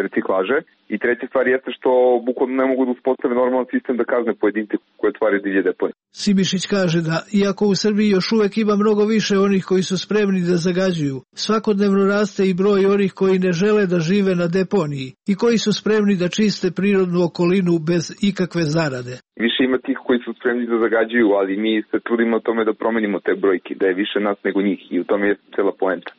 reciklaže. I treća stvar jeste što bukvalno ne mogu da uspostave normalan sistem da kazne pojedince koje otvaraju divlje deponije.
Simišić kaže da, iako u Srbiji još uvek ima mnogo više onih koji su spremni da zagađuju, svakodnevno raste i broj onih koji ne žele da žive na deponiji i koji su spremni da čiste prirodnu okolinu bez ikakve zarade.
Više ima tih koji su spremni da zagađuju, ali mi se trudimo o tome da promenimo te brojke, da je više nas nego njih i u tome je cela poenta.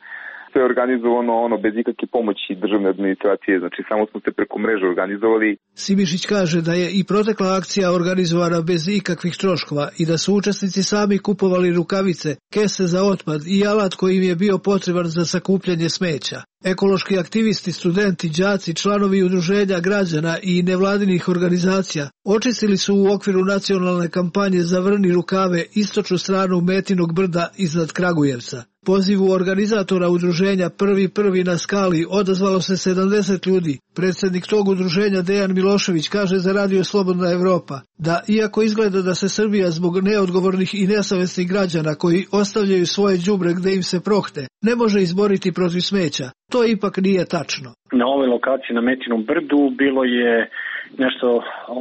Sve je organizovano ono bez ikakve pomoći državne administracije, znači samo smo se preko mreže organizovali.
Simišić kaže da je i protekla akcija organizovana bez ikakvih troškova i da su učesnici sami kupovali rukavice, kese za otpad i alat koji im je bio potreban za sakupljanje smeća. Ekološki aktivisti, studenti, đaci, članovi udruženja građana i nevladinih organizacija očistili su u okviru nacionalne kampanje Zavrni rukave istočnu stranu Metinog brda iznad Kragujevca. Pozivu organizatora udruženja Prvi prvi na skali odazvalo se sedamdeset ljudi. Predsjednik tog udruženja Dejan Milošević kaže za radio Slobodna Evropa da iako izgleda da se Srbija zbog neodgovornih i nesavesnih građana koji ostavljaju svoje đubre gde im se prohte ne može izboriti protiv smeća, to ipak nije tačno.
Na ovoj lokaciji na Metinom brdu bilo je nešto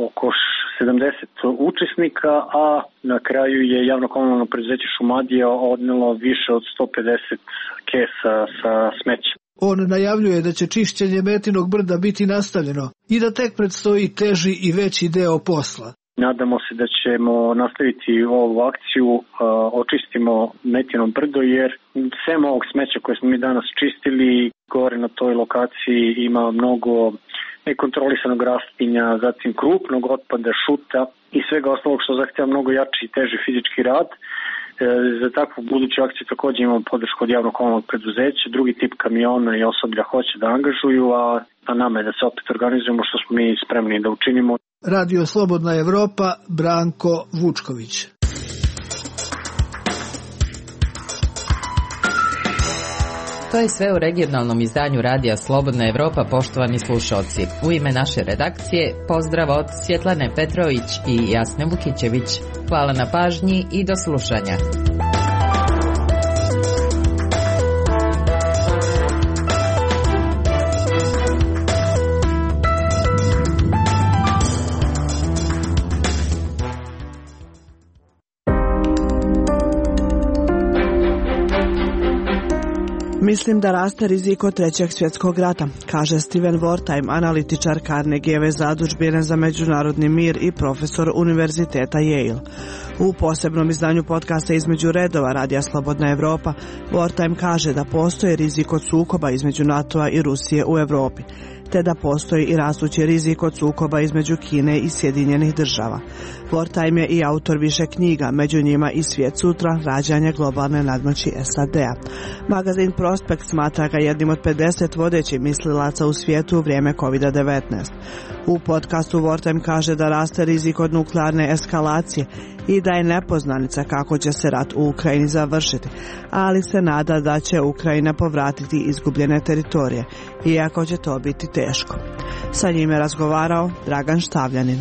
oko sedamdeset učesnika, a na kraju je javno komunalno preduzeće Šumadija odnelo više od sto pedeset kesa sa smećem.
On najavljuje da će čišćenje Metinog brda biti nastavljeno i da tek predstoji teži i veći deo posla.
Nadamo se da ćemo nastaviti ovu akciju, očistimo Metino brdo, jer sem ovog smeća koje smo mi danas čistili, gore na toj lokaciji ima mnogo nekontrolisanog rastinja, zatim krupnog otpada, šuta i svega ostalog što zahtjeva mnogo jači i teži fizički rad. Za takvu buduću akciju također imamo podršku od javnog komunalnog preduzeća, drugi tip kamiona i osoblja hoće da angažuju, a na nama je da se opet organizujemo što smo mi spremni da učinimo.
Radio Slobodna Evropa, Branko Vučković.
To je sve u regionalnom izdanju Radija Slobodna Evropa, poštovani slušalci. U ime naše redakcije pozdrav od Svjetlane Petrović i Jasne Vukićević. Hvala na pažnji i do slušanja.
Mislim da raste rizik od trećeg svjetskog rata, kaže Steven Wertheim, analitičar Carnegieve zadužbine za međunarodni mir i profesor Univerziteta Yale. U posebnom izdanju podcasta Između redova Radija Slobodna Evropa, Wertheim kaže da postoji rizik od sukoba između NATO-a i Rusije u Europi, te da postoji i rastući rizik od sukoba između Kine i Sjedinjenih država. Wertheim je i autor više knjiga, među njima i Svijet sutra, rađanje globalne nadmoći S A D-a. Magazin Prospekt smatra ga jednim od pedeset vodećih mislilaca u svijetu u vrijeme kovid devetnaest. U podcastu Wertheim kaže da raste rizik od nuklearne eskalacije i da je nepoznanica kako će se rat u Ukrajini završiti, ali se nada da će Ukrajina povratiti izgubljene teritorije, iako će to biti teško. Sa njim je razgovarao Dragan Štavljanin.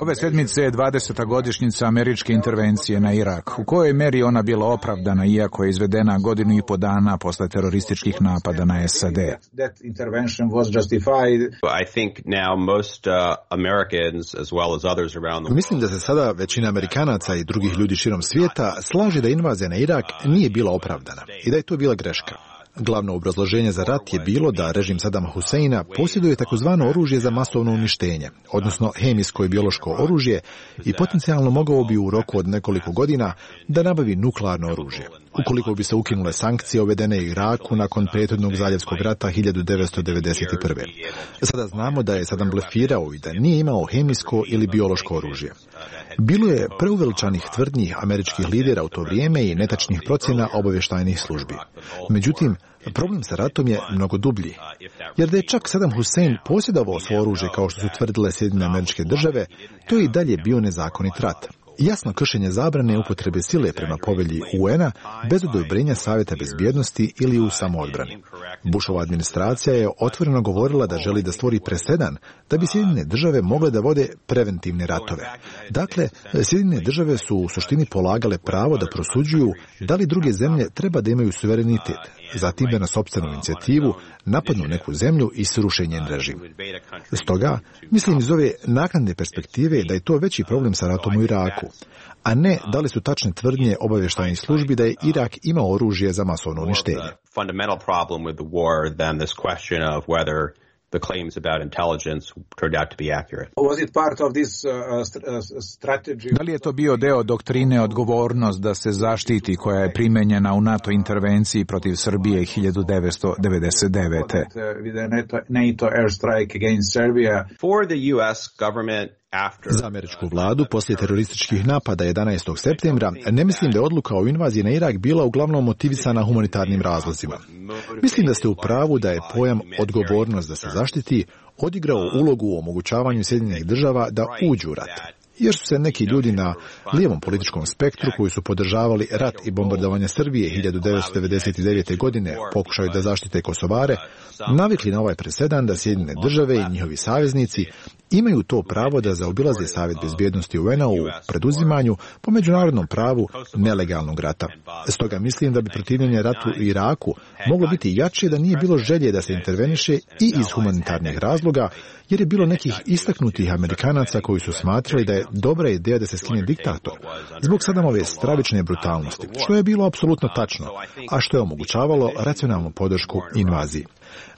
Ove sedmice je dvadeseta godišnjica američke intervencije na Irak. U kojoj meri ona bila opravdana, iako je izvedena godinu i po dana posle terorističkih napada na S A D?
Mislim da se sada većina Amerikanaca i drugih ljudi širom svijeta slaže da invazija na Irak nije bila opravdana i da je to bila greška. Glavno obrazloženje za rat je bilo da režim Sadama Huseina posjeduje takozvano oružje za masovno uništenje, odnosno hemijsko i biološko oružje, i potencijalno mogao bi u roku od nekoliko godina da nabavi nuklearno oružje. Ukoliko bi se ukinule sankcije uvedene u Iraku nakon prethodnog zaljevskog rata hiljadu devetsto devedeset prve. Sada znamo da je Sadam blefirao i da nije imao hemijsko ili biološko oružje. Bilo je preuveličanih tvrdnji američkih lidera u to vrijeme i netačnih procjena obavještajnih službi. Međutim, problem sa ratom je mnogo dublji, jer da je čak Sadam Husein posjedovao svo oružje kao što su tvrdile Sjedinjene Američke Države, to je i dalje bio nezakonit rat. Jasno kršenje zabrane upotrebe sile prema povelji U N-a bez odobrenja Savjeta bezbjednosti ili u samoodbrani. Bushova administracija je otvoreno govorila da želi da stvori presedan da bi Sjedinjene Države mogle da vode preventivne ratove. Dakle, Sjedinjene Države su u suštini polagale pravo da prosuđuju da li druge zemlje treba da imaju suverenitet, zatim da na sopstvenu inicijativu napadnu neku zemlju i sruše njen režim. Stoga, mislim iz ove naknadne perspektive da je to veći problem sa ratom u Iraku, a ne da li su tačne tvrdnje obavještajnih službi da je Irak imao oružje za masovno uništenje.
The claims about intelligence turned out to be accurate.
Was it part of this uh, strategy? Da li je to bio deo doktrine odgovornost da se zaštiti koja je primenjena u NATO intervenciji protiv Srbije hiljadu devetsto devedeset devete. With the NATO airstrike against Serbia.
For the U S government
Za američku vladu poslije terorističkih napada jedanaestog septembra ne mislim da je odluka o invaziji na Irak bila uglavnom motivisana humanitarnim razlozima. Mislim da ste u pravu da je pojam odgovornost da se zaštiti odigrao ulogu u omogućavanju Sjedinjenih Država da uđu u rat. Jer su se neki ljudi na lijevom političkom spektru koji su podržavali rat i bombardovanje Srbije hiljadu devetsto devedeset devete. godine pokušaju da zaštite Kosovare, navikli na ovaj presedan da Sjedinjene Države i njihovi saveznici imaju to pravo da zaobilaze Savjet bezbjednosti U N-a u preduzimanju po međunarodnom pravu nelegalnog rata. Stoga mislim da bi protivljenje ratu u Iraku moglo biti jače da nije bilo želje da se interveniše i iz humanitarnih razloga, jer je bilo nekih istaknutih Amerikanaca koji su smatrali da je dobra ideja da se skine diktator zbog Sadamove stravične brutalnosti, što je bilo apsolutno tačno, a što je omogućavalo racionalnu podršku invaziji.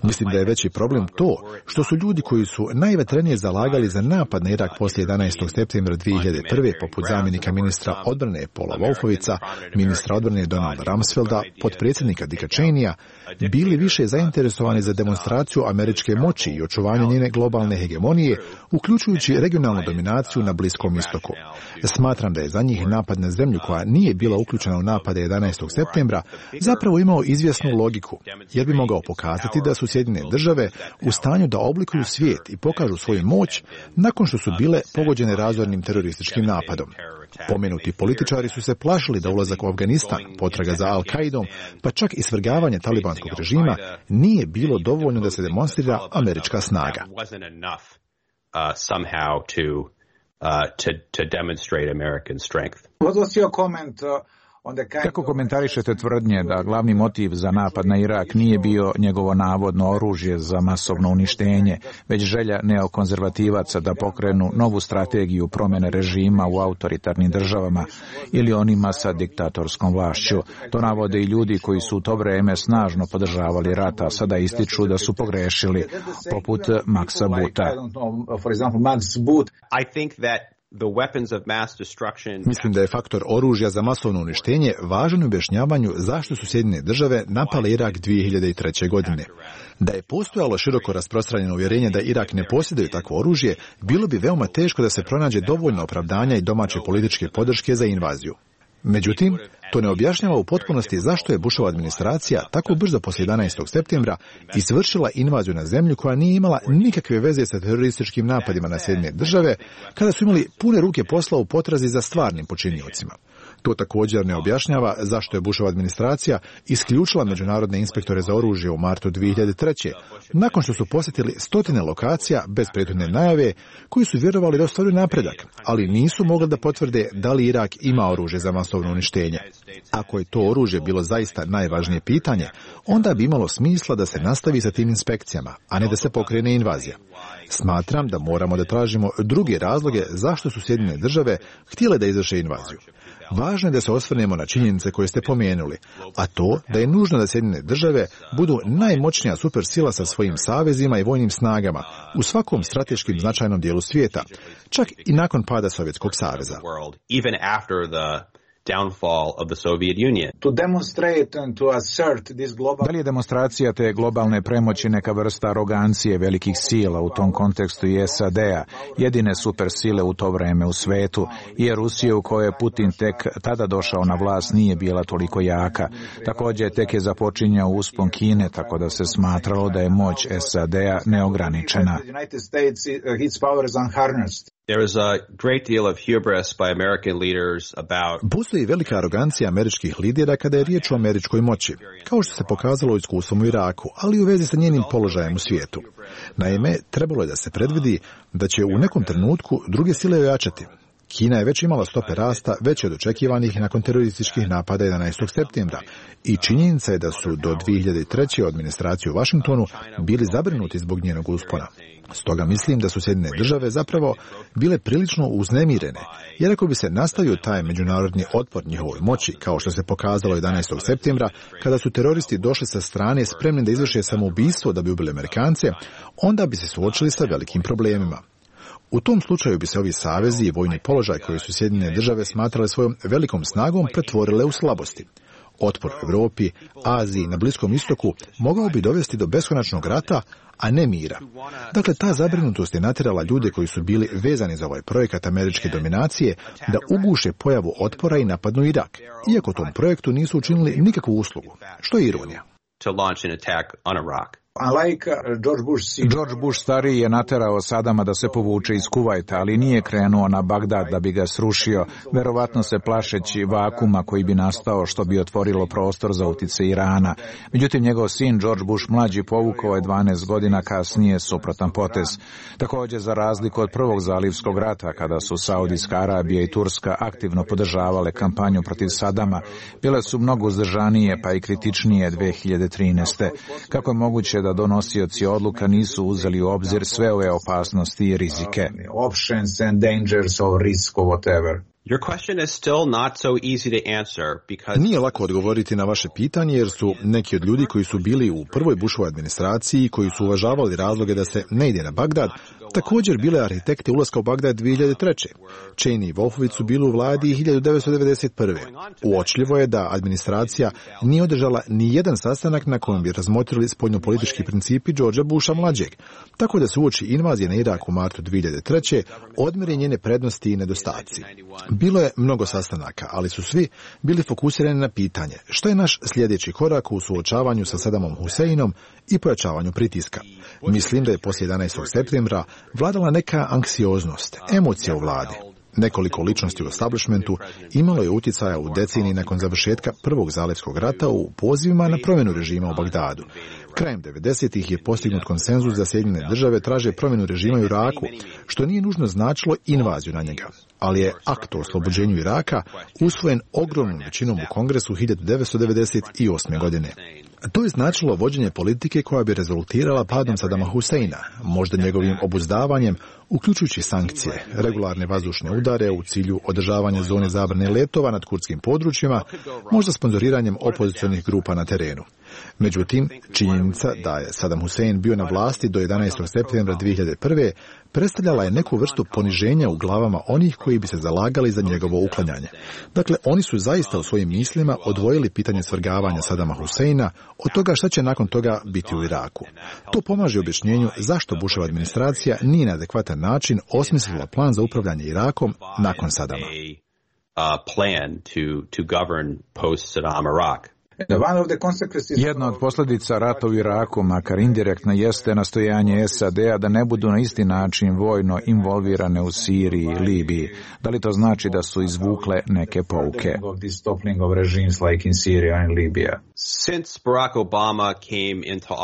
Mislim da je veći problem to što su ljudi koji su najvetrenije zalagali za napad na Irak poslije jedanaestog septembra dvije hiljade prve. poput zamjenika ministra odbrane Paula Wolfovica, ministra odbrane Donalda Rumsfelda, potpredsjednika Dicka Cheneya, bili više zainteresovani za demonstraciju američke moći i očuvanje njene globalne hegemonije, uključujući regionalnu dominaciju na Bliskom istoku. Smatram da je za njih napad na zemlju koja nije bila uključena u napade jedanaestog septembra zapravo imao izvjesnu logiku, jer bi mogao pokazati da su Sjedinjene države u stanju da oblikuju svijet i pokažu svoju moć nakon što su bile pogođene razornim terorističkim napadom. Pomenuti političari su se plašili da ulazak u Afganistan, potraga za Al-Kaidom, pa čak i svrgavanje talibanskog režima nije bilo dovoljno da se demonstrira američka snaga.
Uh, somehow to uh, to to demonstrate American strength.
What was your comment? Uh... Kako komentarišete tvrdnje da glavni motiv za napad na Irak nije bio njegovo navodno oružje za masovno uništenje, već želja neokonzervativaca da pokrenu novu strategiju promjene režima u autoritarnim državama ili onima sa diktatorskom vlašću? To navode i ljudi koji su u to vrijeme snažno podržavali rat, a sada ističu da su pogrešili, poput Maxa Booth.
I think that The weapons of mass destruction...
Mislim da je faktor oružja za masovno uništenje važan u objašnjavanju zašto su Sjedinjene države napale Irak dvije hiljade treće. godine. Da je postojalo široko rasprostranjeno uvjerenje da Irak ne posjeduje takvo oružje, bilo bi veoma teško da se pronađe dovoljno opravdanja i domaće političke podrške za invaziju. Međutim, to ne objašnjava u potpunosti zašto je Bushova administracija tako brzo poslije jedanaestog septembra izvršila invaziju na zemlju koja nije imala nikakve veze sa terorističkim napadima na Sjedinjene države, kada su imali pune ruke posla u potrazi za stvarnim počiniocima. To također ne objašnjava zašto je Bushova administracija isključila međunarodne inspektore za oružje u martu dvije hiljade treće. nakon što su posjetili stotine lokacija bez prethodne najave, koji su vjerovali da ostvaruju napredak, ali nisu mogli da potvrde da li Irak ima oružje za masovno uništenje. Ako je to oružje bilo zaista najvažnije pitanje, onda bi imalo smisla da se nastavi sa tim inspekcijama, a ne da se pokrene invazija. Smatram da moramo da tražimo druge razloge zašto su Sjedinjene države htjele da izvrše invaziju. Važno je da se osvrnemo na činjenice koje ste pomenuli, a to da je nužno da Sjedinjene države budu najmoćnija supersila sa svojim savezima i vojnim snagama u svakom strateškim značajnom dijelu svijeta, čak i nakon pada Sovjetskog saveza.
Downfall of the Soviet Union.
To demonstrate and to assert this global... Da li je demonstracija te globalne premoći neka vrsta arogancije velikih sila, u tom kontekstu i S A D-a, jedine supersile u to vreme u svetu, jer Rusija u kojoj je Putin tek tada došao na vlast nije bila toliko jaka. Također tek je započinjao uspon Kine, tako da se smatralo da je moć S A D-a neograničena.
There is a great deal of hubris by American leaders about...
Postoji velika arogancija američkih lidera kada je riječ o američkoj moći, kao što se pokazalo iskustvom u Iraku, ali u vezi sa njenim položajem u svijetu. Naime, trebalo je da se predvidi da će u nekom trenutku druge sile ojačati. Kina je već imala stope rasta veće od očekivanih nakon terorističkih napada jedanaestog septembra i činjenica je da su do dvije hiljade treće. administracije u Washingtonu bili zabrinuti zbog njenog uspona. Stoga mislim da su Sjedinjene države zapravo bile prilično uznemirene, jer ako bi se nastavio taj međunarodni otpor njihovoj moći, kao što se pokazalo jedanaestog septembra, kada su teroristi došli sa strane spremni da izvrše samoubistvo da bi ubili Amerikance, onda bi se suočili sa velikim problemima. U tom slučaju bi se ovi savezi i vojni položaj koji su Sjedinjene države smatrale svojom velikom snagom pretvorile u slabosti. Otpor u Europi, Aziji, na Bliskom istoku mogao bi dovesti do beskonačnog rata, a ne mira. Dakle, ta zabrinutost je natjerala ljude koji su bili vezani za ovaj projekat američke dominacije da uguše pojavu otpora i napadnu Irak, iako tom projektu nisu učinili nikakvu uslugu, što je ironija.
To launch an attack on Iraq.
Like George Bush, George Bush stariji je naterao Sadama da se povuče iz Kuvajta, ali nije krenuo na Bagdad da bi ga srušio, verovatno se plašeći vakuma koji bi nastao što bi otvorilo prostor za utjecaj Irana. Međutim, njegov sin George Bush mlađi povukao je dvanaest godina kasnije suprotan potez. Također, za razliku od prvog zalivskog rata, kada su Saudijska Arabija i Turska aktivno podržavale kampanju protiv Sadama, bile su mnogo uzdržanije pa i kritičnije dvije hiljade trinaeste. Kako je moguće da donosioci odluka nisu uzeli u obzir sve ove opasnosti i rizike? Options and dangers or risk or whatever.
Your question is still not so easy to answer because...
Nije lako odgovoriti na vaše pitanje jer su neki od ljudi koji su bili u prvoj Bushovoj administraciji, koji su uvažavali razloge da se ne ide na Bagdad, također bile arhitekte ulaska u Bagdad dvije hiljade treće. Cheney i Wolfowitz su bili u vladi hiljadu devetsto devedeset prve. Uočljivo je da administracija nije održala ni jedan sastanak na kojem bi razmotrili spoljnopolitički principi Georgea Busha mlađeg, tako da se uoči invazije na Irak u martu dvije hiljade treće odmjere njene prednosti i nedostaci. Bilo je mnogo sastanaka, ali su svi bili fokusirani na pitanje što je naš sljedeći korak u suočavanju sa Sadamom Huseinom i pojačavanju pritiska. Mislim da je poslije jedanaestog septembra vladala neka anksioznost, emocija u vladi. Nekoliko ličnosti u establishmentu imalo je utjecaja u deceniji nakon završetka prvog zalivskog rata u pozivima na promjenu režima u Bagdadu. Krajem devedesetih je postignut konsenzus da Sjedinjene države traže promjenu režima u Iraku, što nije nužno značilo invaziju na njega, ali je akt o oslobođenju Iraka usvojen ogromnom većinom u Kongresu hiljadu devetsto devedeset osme. godine. To je značilo vođenje politike koja bi rezultirala padom Sadama Huseina, možda njegovim obuzdavanjem, uključujući sankcije, regularne vazdušne udare u cilju održavanja zone zabrane letova nad kurdskim područjima, možda sponzoriranjem opozicionih grupa na terenu. Međutim, činjenica da je Sadam Husein bio na vlasti do jedanaestog septembra dvije hiljade prve. predstavljala je neku vrstu poniženja u glavama onih koji bi se zalagali za njegovo uklanjanje. Dakle, oni su zaista u svojim mislima odvojili pitanje svrgavanja Sadama Huseina od toga šta će nakon toga biti u Iraku. To pomaže objašnjenju zašto Bushova administracija nije na adekvatan način osmislila plan za upravljanje Irakom nakon Sadama.
Jedna od posljedica rata u Iraku, makar indirektno, jeste nastojanje S A D-a da ne budu na isti način vojno involvirane u Siriji i Libiji. Da li to znači da su izvukle neke pouke?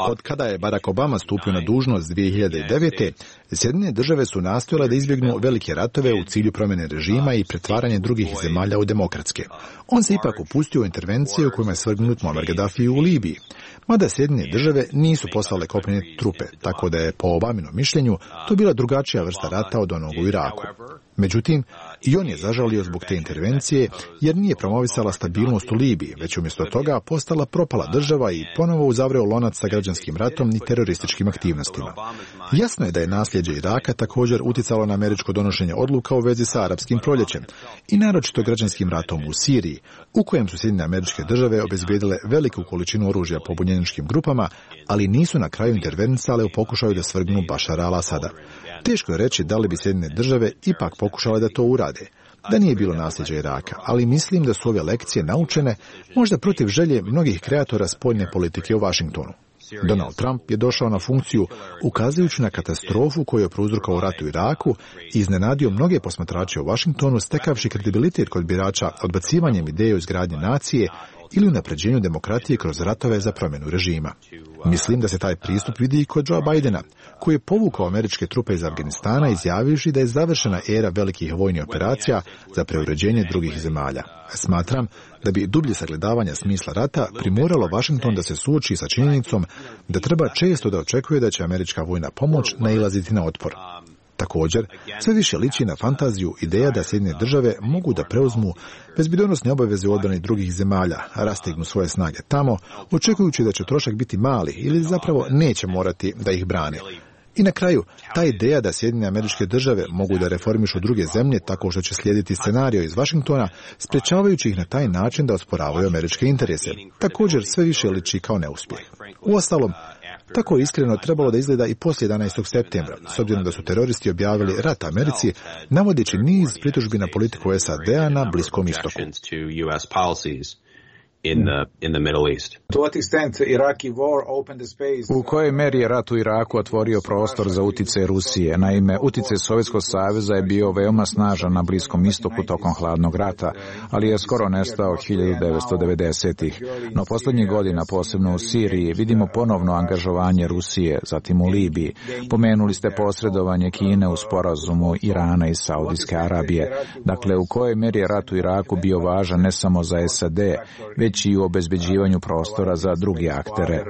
Od kada je Barack Obama stupio na dužnost dvije hiljade devete. Sjedinjene države su nastojale da izbjegnu velike ratove u cilju promjene režima i pretvaranje drugih zemalja u demokratske. On se ipak upustio u intervencije u kojima je svrgnut Muammar Gaddafi u Libiji. Mada Sjedinjene države nisu poslale kopnene trupe, tako da je po Obaminom mišljenju to bila drugačija vrsta rata od onog u Iraku. Međutim, i on je zažalio zbog te intervencije jer nije promovisala stabilnost u Libiji, već umjesto toga postala propala država i ponovo uzavreo lonac sa građanskim ratom i terorističkim aktivnostima. Jasno je da je nasljeđe Iraka također utjecalo na američko donošenje odluka u vezi sa arapskim proljećem i naročito građanskim ratom u Siriji, u kojem su Sjedinjene Američke Države obezbijedile veliku količinu oružja pobunjeničkim grupama, ali nisu na kraju intervenisale u pokušaju da svrgnu Bašara al-Asada. Teško je reći da li bi Sjedinjene Države ipak pokušale da to urade, da nije bilo nasljeđa Iraka, ali mislim da su ove lekcije naučene možda protiv želje mnogih kreatora spoljne politike u Washingtonu. Donald Trump je došao na funkciju ukazujući na katastrofu koju je prouzrokovao rat u Iraku i iznenadio mnoge posmatrače u Washingtonu stekavši kredibilitet kod birača odbacivanjem ideje o izgradnji nacije ili unapređenju demokratije kroz ratove za promjenu režima. Mislim da se taj pristup vidi i kod Joea Bidena, koji je povukao američke trupe iz Afganistana izjavivši da je završena era velikih vojnih operacija za preuređenje drugih zemalja. Smatram da bi dublje sagledavanje smisla rata primoralo Washington da se suoči sa činjenicom da treba često da očekuje da će američka vojna pomoć nailaziti na otpor. Također, sve više liči na fantaziju ideja da Sjedinjene Države mogu da preuzmu bezbjednosne obaveze u odbrani drugih zemalja, rastegnu svoje snage tamo, očekujući da će trošak biti mali ili zapravo neće morati da ih brane. I na kraju, ta ideja da Sjedinjene Američke Države mogu da reformišu druge zemlje tako što će slijediti scenario iz Washingtona, sprečavajući ih na taj način da osporavaju američke interese, također sve više liči kao neuspjeh. Uostalom, tako je iskreno trebalo da izgleda i poslije jedanaestog septembra, s obzirom da su teroristi objavili rat Americi, navodeći niz pritužbi na politiku S A D-a na Bliskom istoku.
In the, in the Middle East.
U kojoj meri je rat u Iraku otvorio prostor za utjecaj Rusije? Naime, utjecaj Sovjetskog saveza je bio veoma snažan na Bliskom istoku tokom hladnog rata, ali je skoro nestao hiljadu devetsto devedesetih. No posljednjih godina, posebno u Siriji, vidimo ponovno angažovanje Rusije, zatim u Libiji. Pomenuli ste posredovanje Kine u sporazumu Irana i Saudijske Arabije. Dakle, u kojoj meri je rat u Iraku bio važan ne samo za S A D, već i u obezbeđivanju prostora za druge aktere.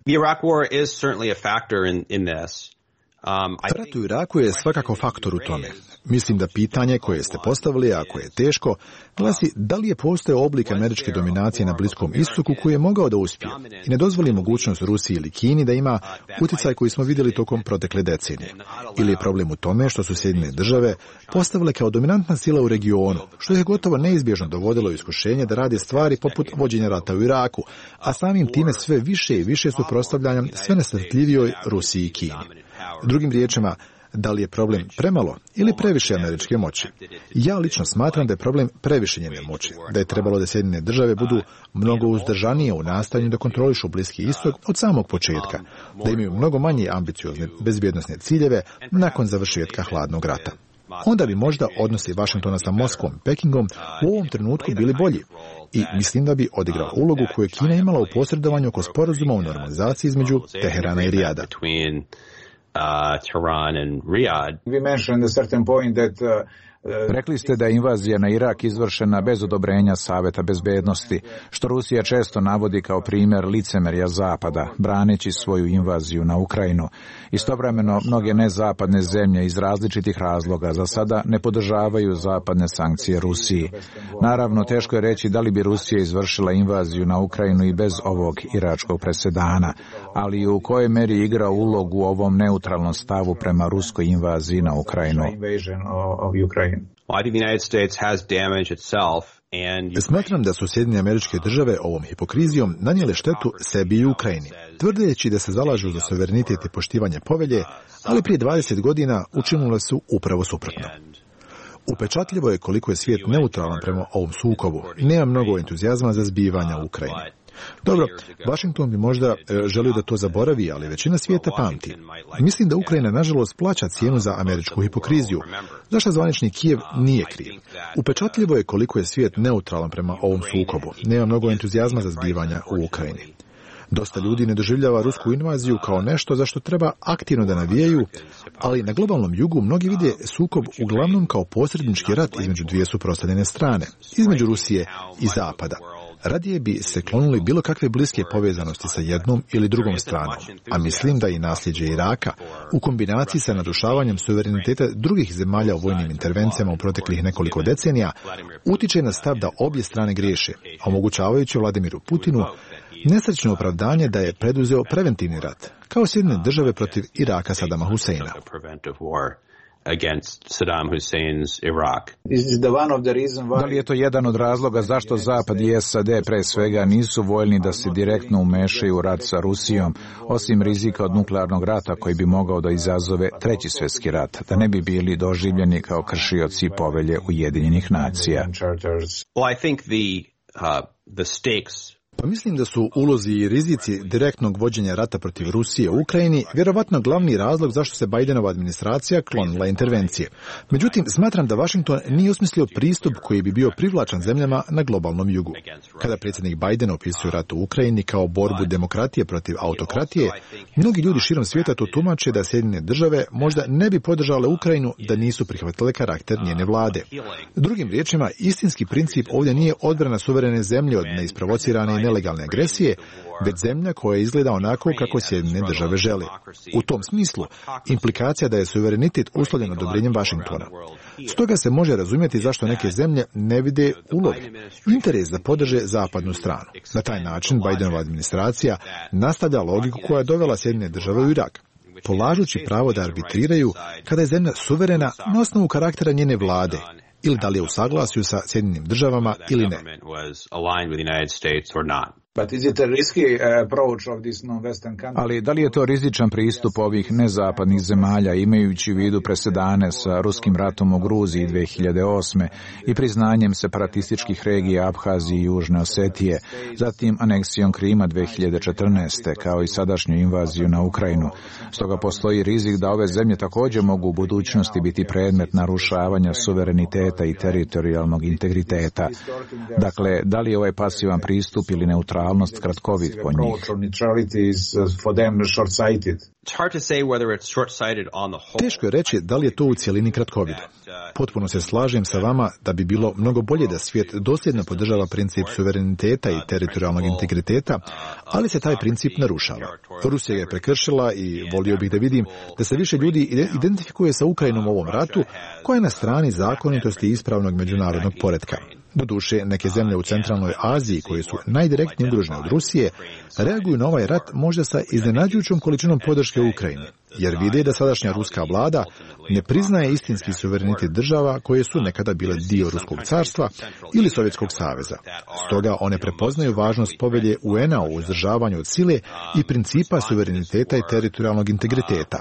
The Iraq war is certainly a factor in, in this.
Um, Rat u Iraku je svakako faktor u tome. Mislim da pitanje koje ste postavili, ako je teško, glasi da li je postojao oblik američke dominacije na Bliskom istoku koji je mogao da uspije i ne dozvoli mogućnost Rusiji ili Kini da ima utjecaj koji smo vidjeli tokom protekle decenije. Ili je problem u tome što su Sjedinjene Države postavile kao dominantna sila u regionu, što je gotovo neizbježno dovodilo u iskušenje da rade stvari poput vođenja rata u Iraku, a samim time sve više i više suprotstavljanja sve nestrpljivijoj Rusiji i Kini. Drugim riječima, Da li je problem premalo ili previše američke moći? Ja lično smatram da je problem previše njene moći, da je trebalo da Sjedinjene države budu mnogo uzdržanije u nastojanju da kontrolišu Bliski istok od samog početka, da imaju mnogo manje ambiciozne bezbjednosne ciljeve nakon završetka hladnog rata. Onda bi možda odnosi Vašingtona sa Moskvom i Pekingom u ovom trenutku bili bolji i mislim da bi odigrao ulogu koju je Kina imala u posredovanju oko sporazuma o normalizaciji između Teherana i Rijada.
Rekli ste da je invazija na Irak izvršena bez odobrenja Saveta bezbednosti, što Rusija često navodi kao primjer licemerja Zapada, braneći svoju invaziju na Ukrajinu. Istovremeno, mnoge nezapadne zemlje iz različitih razloga za sada ne podržavaju zapadne sankcije Rusiji. Naravno, teško je reći da li bi Rusija izvršila invaziju na Ukrajinu i bez ovog iračkog presedana, ali u kojoj meri igra ulogu u ovom neutralnom stavu prema ruskoj invaziji na Ukrajinu.
Smatram da su Sjedinjene Američke Države ovom hipokrizijom nanijele štetu sebi i Ukrajini, tvrdeći da se zalažu za suverenitet i poštivanje povelje, ali prije dvadeset godina učinile su upravo suprotno. Upečatljivo je koliko je svijet neutralan prema ovom sukobu i nema mnogo entuzijazma za zbivanja u Ukrajini. Dobro, Washington bi možda e, želio da to zaboravi, ali većina svijeta pamti. Mislim da Ukrajina nažalost plaća cijenu za američku hipokriziju, zašto zvanični Kijev nije kriv. Upečatljivo je koliko je svijet neutralan prema ovom sukobu. Nema mnogo entuzijazma za zbivanja u Ukrajini. Dosta ljudi ne doživljava rusku invaziju kao nešto za što treba aktivno da navijaju, ali na globalnom jugu mnogi vide sukob uglavnom kao posrednički rat između dvije suprotstavljene strane, između Rusije i Zapada. Radije bi se klonuli bilo kakve bliske povezanosti sa jednom ili drugom stranom, a mislim da i nasljeđe Iraka, u kombinaciji sa narušavanjem suvereniteta drugih zemalja u vojnim intervencijama u proteklih nekoliko decenija, utiče na stav da obje strane griješe, omogućavajući Vladimiru Putinu nesrećno opravdanje da je preduzeo preventivni rat, kao Sjedinjene države protiv Iraka Sadama Huseina.
Against Saddam Hussein's Iraq.
Da li je to jedan od razloga zašto Zapad i S A D pre svega nisu voljni da se direktno umešaju u rat sa Rusijom, osim rizika od nuklearnog rata koji bi mogao da izazove treći svjetski rat, da ne bi bili doživljeni kao kršioci povelje Ujedinjenih nacija?
Well, I think the uh, the stakes
Pa mislim da su ulozi i rizici direktnog vođenja rata protiv Rusije u Ukrajini vjerovatno glavni razlog zašto se Bidenova administracija klonila intervencije. Međutim, smatram da Washington nije osmislio pristup koji bi bio privlačan zemljama na globalnom jugu. Kada predsjednik Biden opisuje rat u Ukrajini kao borbu demokratije protiv autokratije, mnogi ljudi širom svijeta to tumače da Sjedinjene države možda ne bi podržale Ukrajinu da nisu prihvatile karakter njene vlade. Drugim riječima, istinski princip ovdje nije odbrana suverene zemlje od neisprovocirane i nelegalne agresije, već zemlja koja izgleda onako kako Sjedinjene države žele. U tom smislu, implikacija da je suverenitet uslovljen odobrenjem Washingtona. Stoga se može razumjeti zašto neke zemlje ne vide ulog, interes da podrže zapadnu stranu. Na taj način Bidenova administracija nastavlja logiku koja je dovela Sjedinjene države u Irak, polažući pravo da arbitriraju kada je zemlja suverena na osnovu karaktera njene vlade, ili da li je u saglasju sa Sjedinjenim državama ili ne.
Ali da li je to rizičan pristup ovih nezapadnih zemalja, imajući u vidu presedane sa ruskim ratom u Gruziji dve hiljade osme i priznanjem separatističkih regija Abhazije i Južne Osetije, zatim aneksijom Krima dve hiljade četrnaeste, kao i sadašnju invaziju na Ukrajinu. Stoga postoji rizik da ove zemlje također mogu u budućnosti biti predmet narušavanja suvereniteta i teritorijalnog integriteta. Dakle, da li je ovaj pasivan pristup ili neutralnost kratkovit po njih?
Teško je reći da li je to u cjelini kratkovido. Potpuno se slažem sa vama da bi bilo mnogo bolje da svijet dosljedno podržava princip suvereniteta i teritorijalnog integriteta, ali se taj princip narušava. Rusija je prekršila i volio bih da vidim da se više ljudi identifikuje sa Ukrajinom u ovom ratu, koja je na strani zakonitosti i ispravnog međunarodnog poretka. Doduše, neke zemlje u centralnoj Aziji, koje su najdirektnije ugrožene od Rusije, reaguju na ovaj rat možda sa iznenađujućom količinom podrške u Ukrajini. jer vide da sadašnja ruska vlada ne priznaje istinski suverenitet država koje su nekada bile dio Ruskog carstva ili Sovjetskog saveza. Stoga one prepoznaju važnost povelje U N A o uzdržavanju od sile i principa suvereniteta i teritorijalnog integriteta.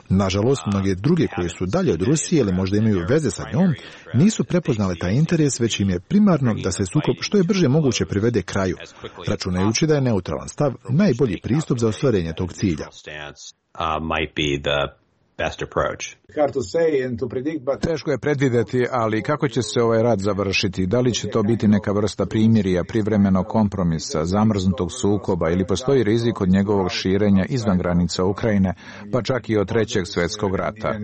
Nažalost, mnoge druge koje su dalje od Rusije ili možda imaju veze sa njom, nisu prepoznale taj interes, već im je primarno da se sukob što je brže moguće privede kraju, računajući da je neutralan stav najbolji pristup za ostvarenje tog cilja.
Teško je predvidjeti, ali kako će se ovaj rat završiti? Da li će to biti neka vrsta primirja, privremenog kompromisa, zamrznutog sukoba ili postoji rizik od njegovog širenja izvan granica Ukrajine, pa čak i od trećeg svjetskog rata?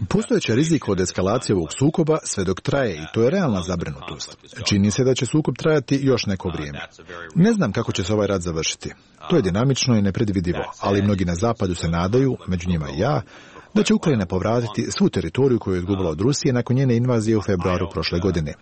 Postojeći rizik od eskalacije ovog sukoba sve dok traje i to je realna zabrinutost. Čini se da će sukob trajati još neko vrijeme. Ne znam kako će se ovaj rat završiti. To je dinamično i nepredvidivo, ali mnogi na zapadu se nadaju, među njima i ja, da će Ukrajina povratiti svu teritoriju koju je izgubila od Rusije nakon njene invazije u februaru prošle godine.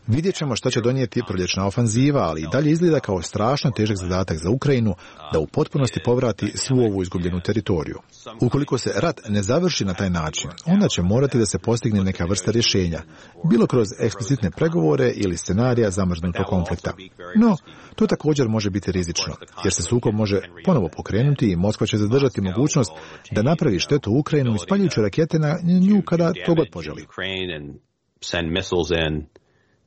Vidjet ćemo šta će donijeti proljećna ofanziva, ali i dalje izgleda kao strašno težak zadatak za Ukrajinu da u potpunosti povrati svu ovu izgubljenu teritoriju. Ukoliko se rat ne završi na taj način, onda će morati da se postigne neka vrsta rješenja, bilo kroz eksplicitne pregovore ili scenarija zamrznutog konflikta. No, to također može biti rizično, jer se sukob može ponovo pokrenuti i Moskva će zadržati mogućnost da napravi štetu Ukrajinu ispaljujući rakete na nju kada to god poželi.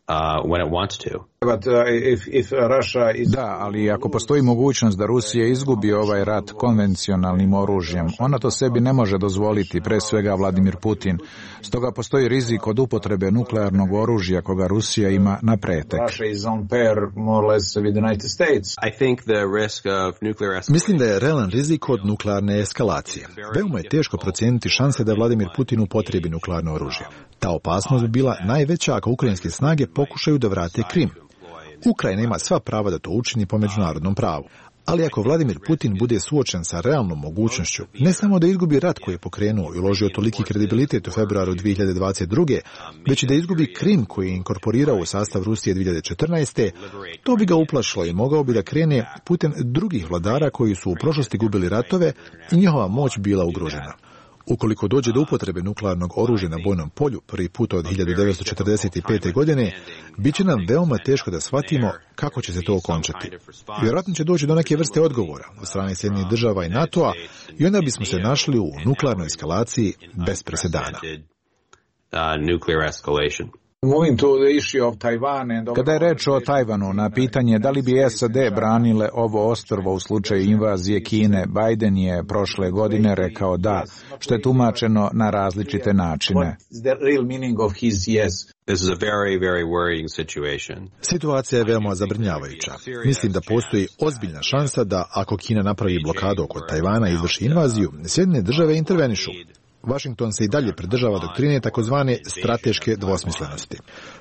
Uh, when it wants to.
But, uh, if, if Russia is... Da, ali ako postoji mogućnost da Rusija izgubi ovaj rat konvencionalnim oružjem, ona to sebi ne može dozvoliti, pre svega Vladimir Putin. Stoga postoji rizik od upotrebe nuklearnog oružja koga Rusija ima na pretek.
Mislim da je realan rizik od nuklearne eskalacije. Veoma je teško procijeniti šanse da Vladimir Putin upotrebi nuklearno oružje. Ta opasnost bi bila najveća ako ukrajinske snage pokušaju da vrate Krim. Ukrajina ima sva prava da to učini po međunarodnom pravu. Ali ako Vladimir Putin bude suočen sa realnom mogućnošću, ne samo da izgubi rat koji je pokrenuo i uložio toliki kredibilitet u februaru dvije hiljade dvadeset druge, već i da izgubi Krim koji je inkorporirao u sastav Rusije dvije hiljade četrnaeste. To bi ga uplašilo i mogao bi da krene putem drugih vladara koji su u prošlosti gubili ratove i njihova moć bila ugrožena. Ukoliko dođe do upotrebe nuklearnog oružja na bojnom polju prvi put od hiljadu devetsto četrdeset pete. godine, bit će nam veoma teško da shvatimo kako će se to okončati. Vjerojatno će doći do neke vrste odgovora od strane Sjedinjenih država i NATO-a i onda bismo se našli u nuklearnoj eskalaciji bez presedana.
Kada je reč o Tajvanu, na pitanje da li bi S A D branile ovo ostrvo u slučaju invazije Kine, Biden je prošle godine rekao da, što je tumačeno na različite načine.
Situacija je veoma zabrinjavajuća. Mislim da postoji ozbiljna šansa da ako Kina napravi blokadu oko Tajvana i izvrši invaziju, Sjedinjene države intervenišu. Washington se i dalje pridržava doktrine takozvane strateške dvosmislenosti.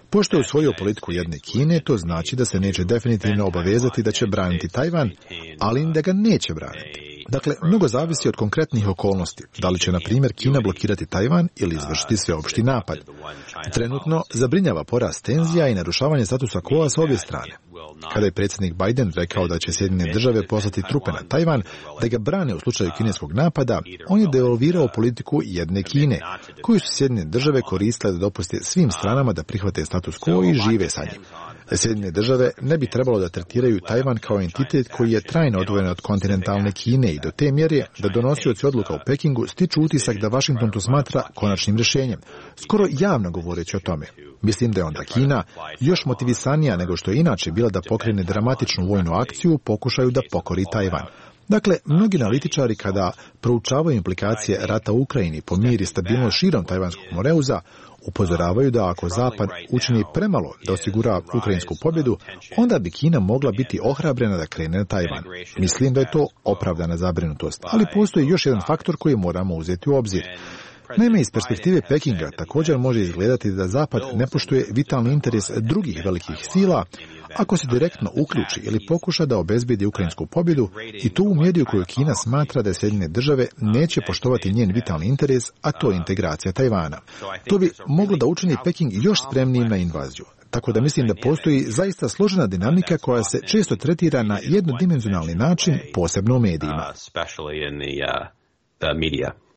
Pošto je usvojio politiku jedne Kine, to znači da se neće definitivno obavezati da će braniti Tajvan, ali da ga neće braniti. Dakle, mnogo zavisi od konkretnih okolnosti, da li će, na primjer, Kina blokirati Tajvan ili izvršiti sveopšti napad. Trenutno zabrinjava porast tenzija i narušavanje statusa quo s obje strane. Kada je predsjednik Biden rekao da će Sjedinjene države poslati trupe na Tajvan da ga brane u slučaju kineskog napada, on je devalvirao politiku jedne Kine, koju su Sjedinjene države koristile da dopuste svim stranama da prihvate status quo i žive sa njim. Sjedinjene države ne bi trebalo da tretiraju Tajvan kao entitet koji je trajno odvojen od kontinentalne Kine i do te mjere da donosioci odluka u Pekingu stiču utisak da Washington to smatra konačnim rješenjem, skoro javno govoreći o tome. Mislim da je onda Kina još motivisanija nego što je inače bila da pokrene dramatičnu vojnu akciju u pokušaju da pokori Tajvan. Dakle, mnogi analitičari kada proučavaju implikacije rata u Ukrajini po mir i stabilnost širom Tajvanskog moreuza, upozoravaju da ako Zapad učini premalo da osigura ukrajinsku pobjedu, onda bi Kina mogla biti ohrabrena da krene na Tajvan. Mislim da je to opravdana zabrinutost, ali postoji još jedan faktor koji moramo uzeti u obzir. Naime, iz perspektive Pekinga također može izgledati da Zapad ne poštuje vitalni interes drugih velikih sila ako se direktno uključi ili pokuša da obezbijedi ukrajinsku pobjedu i to u mjeri u kojoj Kina smatra da Sjedinjene države neće poštovati njen vitalni interes, a to je integracija Tajvana. To bi moglo da učini Peking još spremnijim na invaziju. Tako da mislim da postoji zaista složena dinamika koja se često tretira na jednodimenzionalni način, posebno u medijima.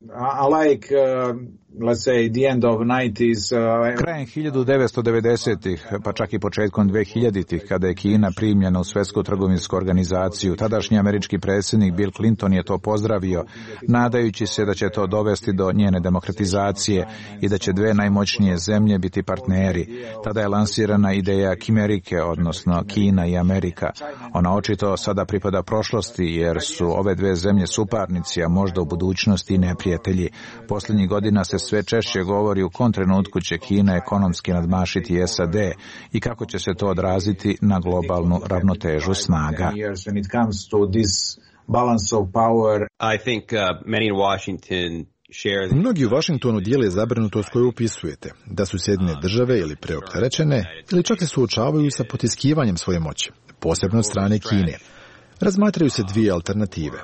I like, uh, let's say, the end of nineties. Uh, Krajem hiljadu devetsto devedesetih, pa čak i početkom dvehiljaditih, kada je Kina primljena u Svjetsku trgovinsku organizaciju, tadašnji američki predsjednik Bill Clinton je to pozdravio, nadajući se da će to dovesti do njene demokratizacije i da će dve najmoćnije zemlje biti partneri. Tada je lansirana ideja Kimerike, odnosno Kina i Amerika. Ona očito sada pripada prošlosti, jer su ove dve zemlje suparnici, a možda u budućnosti i neprijatelji. Posljednjih godina se sve češće govori u kom trenutku će Kina ekonomski nadmašiti S A D i kako će se to odraziti na globalnu ravnotežu snaga.
Mnogi u Washingtonu dijele zabrinutost koju upisujete, da su Sjedinjene države ili preopterećene ili čak se suočavaju sa potiskivanjem svoje moći, posebno od strane Kine. Razmatraju se dvije alternative.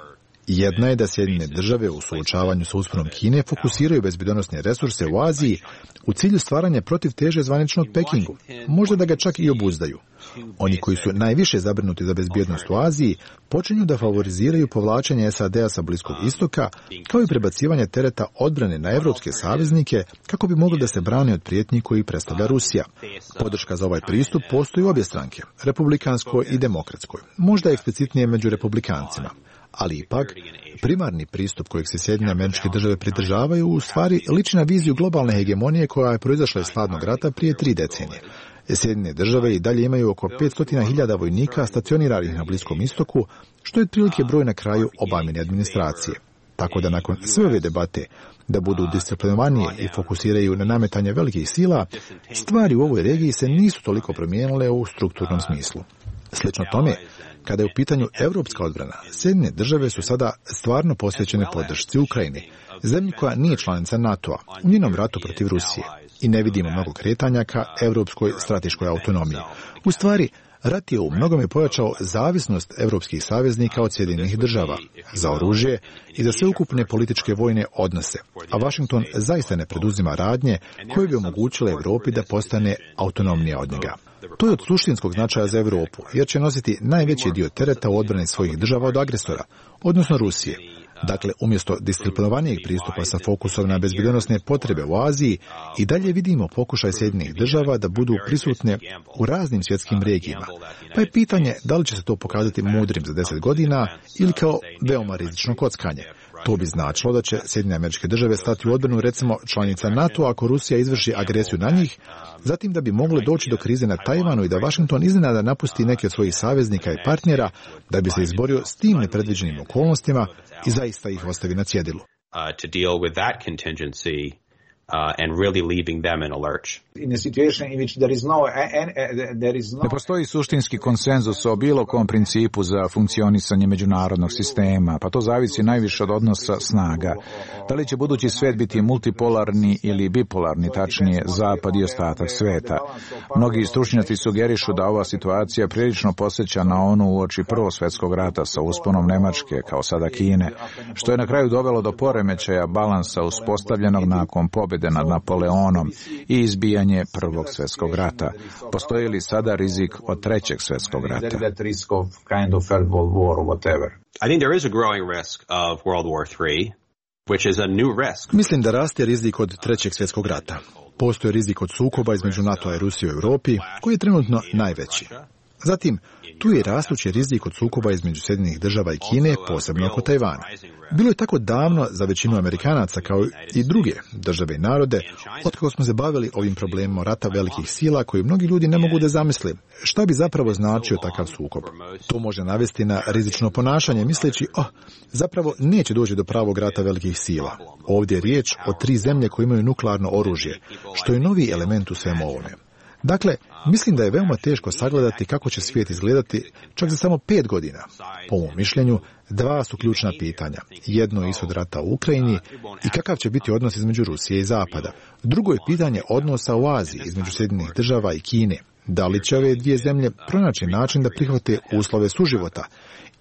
Jedna je da Sjedinjene države u suočavanju sa usponom Kine fokusiraju bezbjednosne resurse u Aziji u cilju stvaranja protiv teže zvaničnog Pekingu, možda da ga čak i obuzdaju. Oni koji su najviše zabrinuti za bezbjednost u Aziji počinju da favoriziraju povlačenje S A D-a sa Bliskog istoka, kao i prebacivanje tereta odbrane na evropske saveznike kako bi mogli da se brane od prijetnji koji predstavlja Rusija. Podrška za ovaj pristup postoji u obje stranke, republikanskoj i demokratskoj, možda eksplicitnije među republikancima. Ali ipak, primarni pristup kojeg se Sjedinjene Američke Države pridržavaju u stvari liči na viziju globalne hegemonije koja je proizašla iz hladnog rata prije tri decenije. Sjedinjene Države i dalje imaju oko petsto hiljada vojnika stacioniranih na Bliskom istoku, što je otprilike broj na kraju Obamine administracije. Tako da nakon sve ove debate da budu disciplinovanije i fokusiraju na nametanje velikih sila, stvari u ovoj regiji se nisu toliko promijenile u strukturnom smislu. Slično tome, kada je u pitanju evropska odbrana, Sjedinjene Države su sada stvarno posvećene podršci Ukrajini, zemlji koja nije članica NATO-a, u njenom ratu protiv Rusije, i ne vidimo mnogo kretanja ka evropskoj strateškoj autonomiji. U stvari, rat je u mnogome pojačao zavisnost evropskih saveznika od Sjedinjenih Država za oružje i za sveukupne političke vojne odnose, a Washington zaista ne preduzima radnje koje bi omogućile Evropi da postane autonomnija od njega. To je od suštinskog značaja za Evropu, jer će nositi najveći dio tereta u odbrani svojih država od agresora, odnosno Rusije. Dakle, umjesto disciplinovanijeg pristupa sa fokusom na bezbjednosne potrebe u Aziji, i dalje vidimo pokušaj Sjedinjenih Država da budu prisutne u raznim svjetskim regijama. Pa je pitanje da li će se to pokazati mudrim za deset godina ili kao veoma rizično kockanje. To bi značilo da će Sjedinjene Američke Države stati u odbranu recimo članica NATO ako Rusija izvrši agresiju na njih, zatim da bi moglo doći do krize na Tajvanu i da Washington iznenada napusti neke od svojih saveznika i partnera da bi se izborio s tim nepredviđenim okolnostima i zaista ih ostavi na cjedilu.
Uh, to deal with that contingency Uh, and really leaving them in a lurch.
In a situation in which there is no, there is no... Ne postoji suštinski konsenzus o bilo kom principu za funkcionisanje međunarodnog sistema, pa to zavisi najviše od odnosa snaga. Da li će budući svijet biti multipolarni ili bipolarni, tačnije zapad i ostatak sveta? Mnogi stručnjaci sugerišu da ova situacija prilično posjeća na onu uoči Prvog svjetskog rata sa usponom Nemačke, kao sada Kine, što je na kraju dovelo do poremećaja balansa uspostavljenog nakon pobjede nad Napoleonom i izbijanje Prvog svjetskog rata. Postoji li sada rizik od Trećeg svjetskog rata?
I think there is a growing risk of World War three, which is a new risk.
Mislim da raste rizik od Trećeg svjetskog rata. Postoji rizik od sukoba između NATO-a i Rusije u Europi, koji je trenutno najveći. Zatim, tu je rastući rizik od sukoba između Sjedinjenih Država i Kine, posebno oko Tajvana. Bilo je tako davno za većinu Amerikanaca, kao i druge države i narode, otkako smo se bavili ovim problemom rata velikih sila, koji mnogi ljudi ne mogu da zamisle šta bi zapravo značio takav sukob. To može navesti na rizično ponašanje, misleći, oh, zapravo neće doći do pravog rata velikih sila. Ovdje je riječ o tri zemlje koje imaju nuklearno oružje, što je novi element u svemu ovome. Dakle, mislim da je veoma teško sagledati kako će svijet izgledati čak za samo pet godina. Po mom mišljenju, dva su ključna pitanja. Jedno je ishod rata u Ukrajini i kakav će biti odnos između Rusije i Zapada. Drugo je pitanje odnosa u Aziji između Sjedinjenih Država i Kine. Da li će ove dvije zemlje pronaći način da prihvate uslove suživota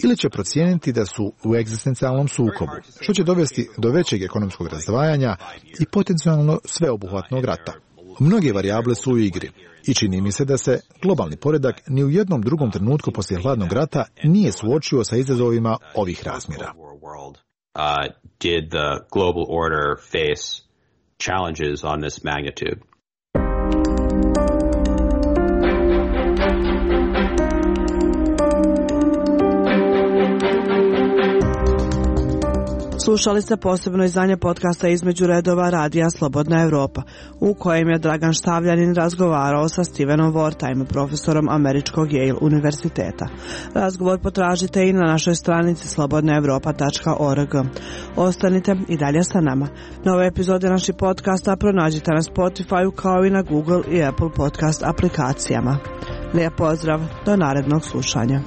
ili će procijeniti da su u egzistencijalnom sukobu, što će dovesti do većeg ekonomskog razdvajanja i potencijalno sveobuhvatnog rata. Mnoge varijable su u igri i čini mi se da se globalni poredak ni u jednom drugom trenutku poslije hladnog rata nije suočio sa izazovima ovih razmjera.
Uh, did the global order face challenges on this magnitude?
Slušali ste posebno izdanje podcasta Između redova radija Slobodna Evropa, u kojem je Dragan Štavljanin razgovarao sa Stevenom Wertheim, profesorom Američkog Yale univerziteta. Razgovor potražite i na našoj stranici slobodna evropa tačka org. Ostanite i dalje sa nama. Nove epizode naših podcasta pronađite na Spotify kao i na Google i Apple podcast aplikacijama. Lijep pozdrav, do narednog slušanja.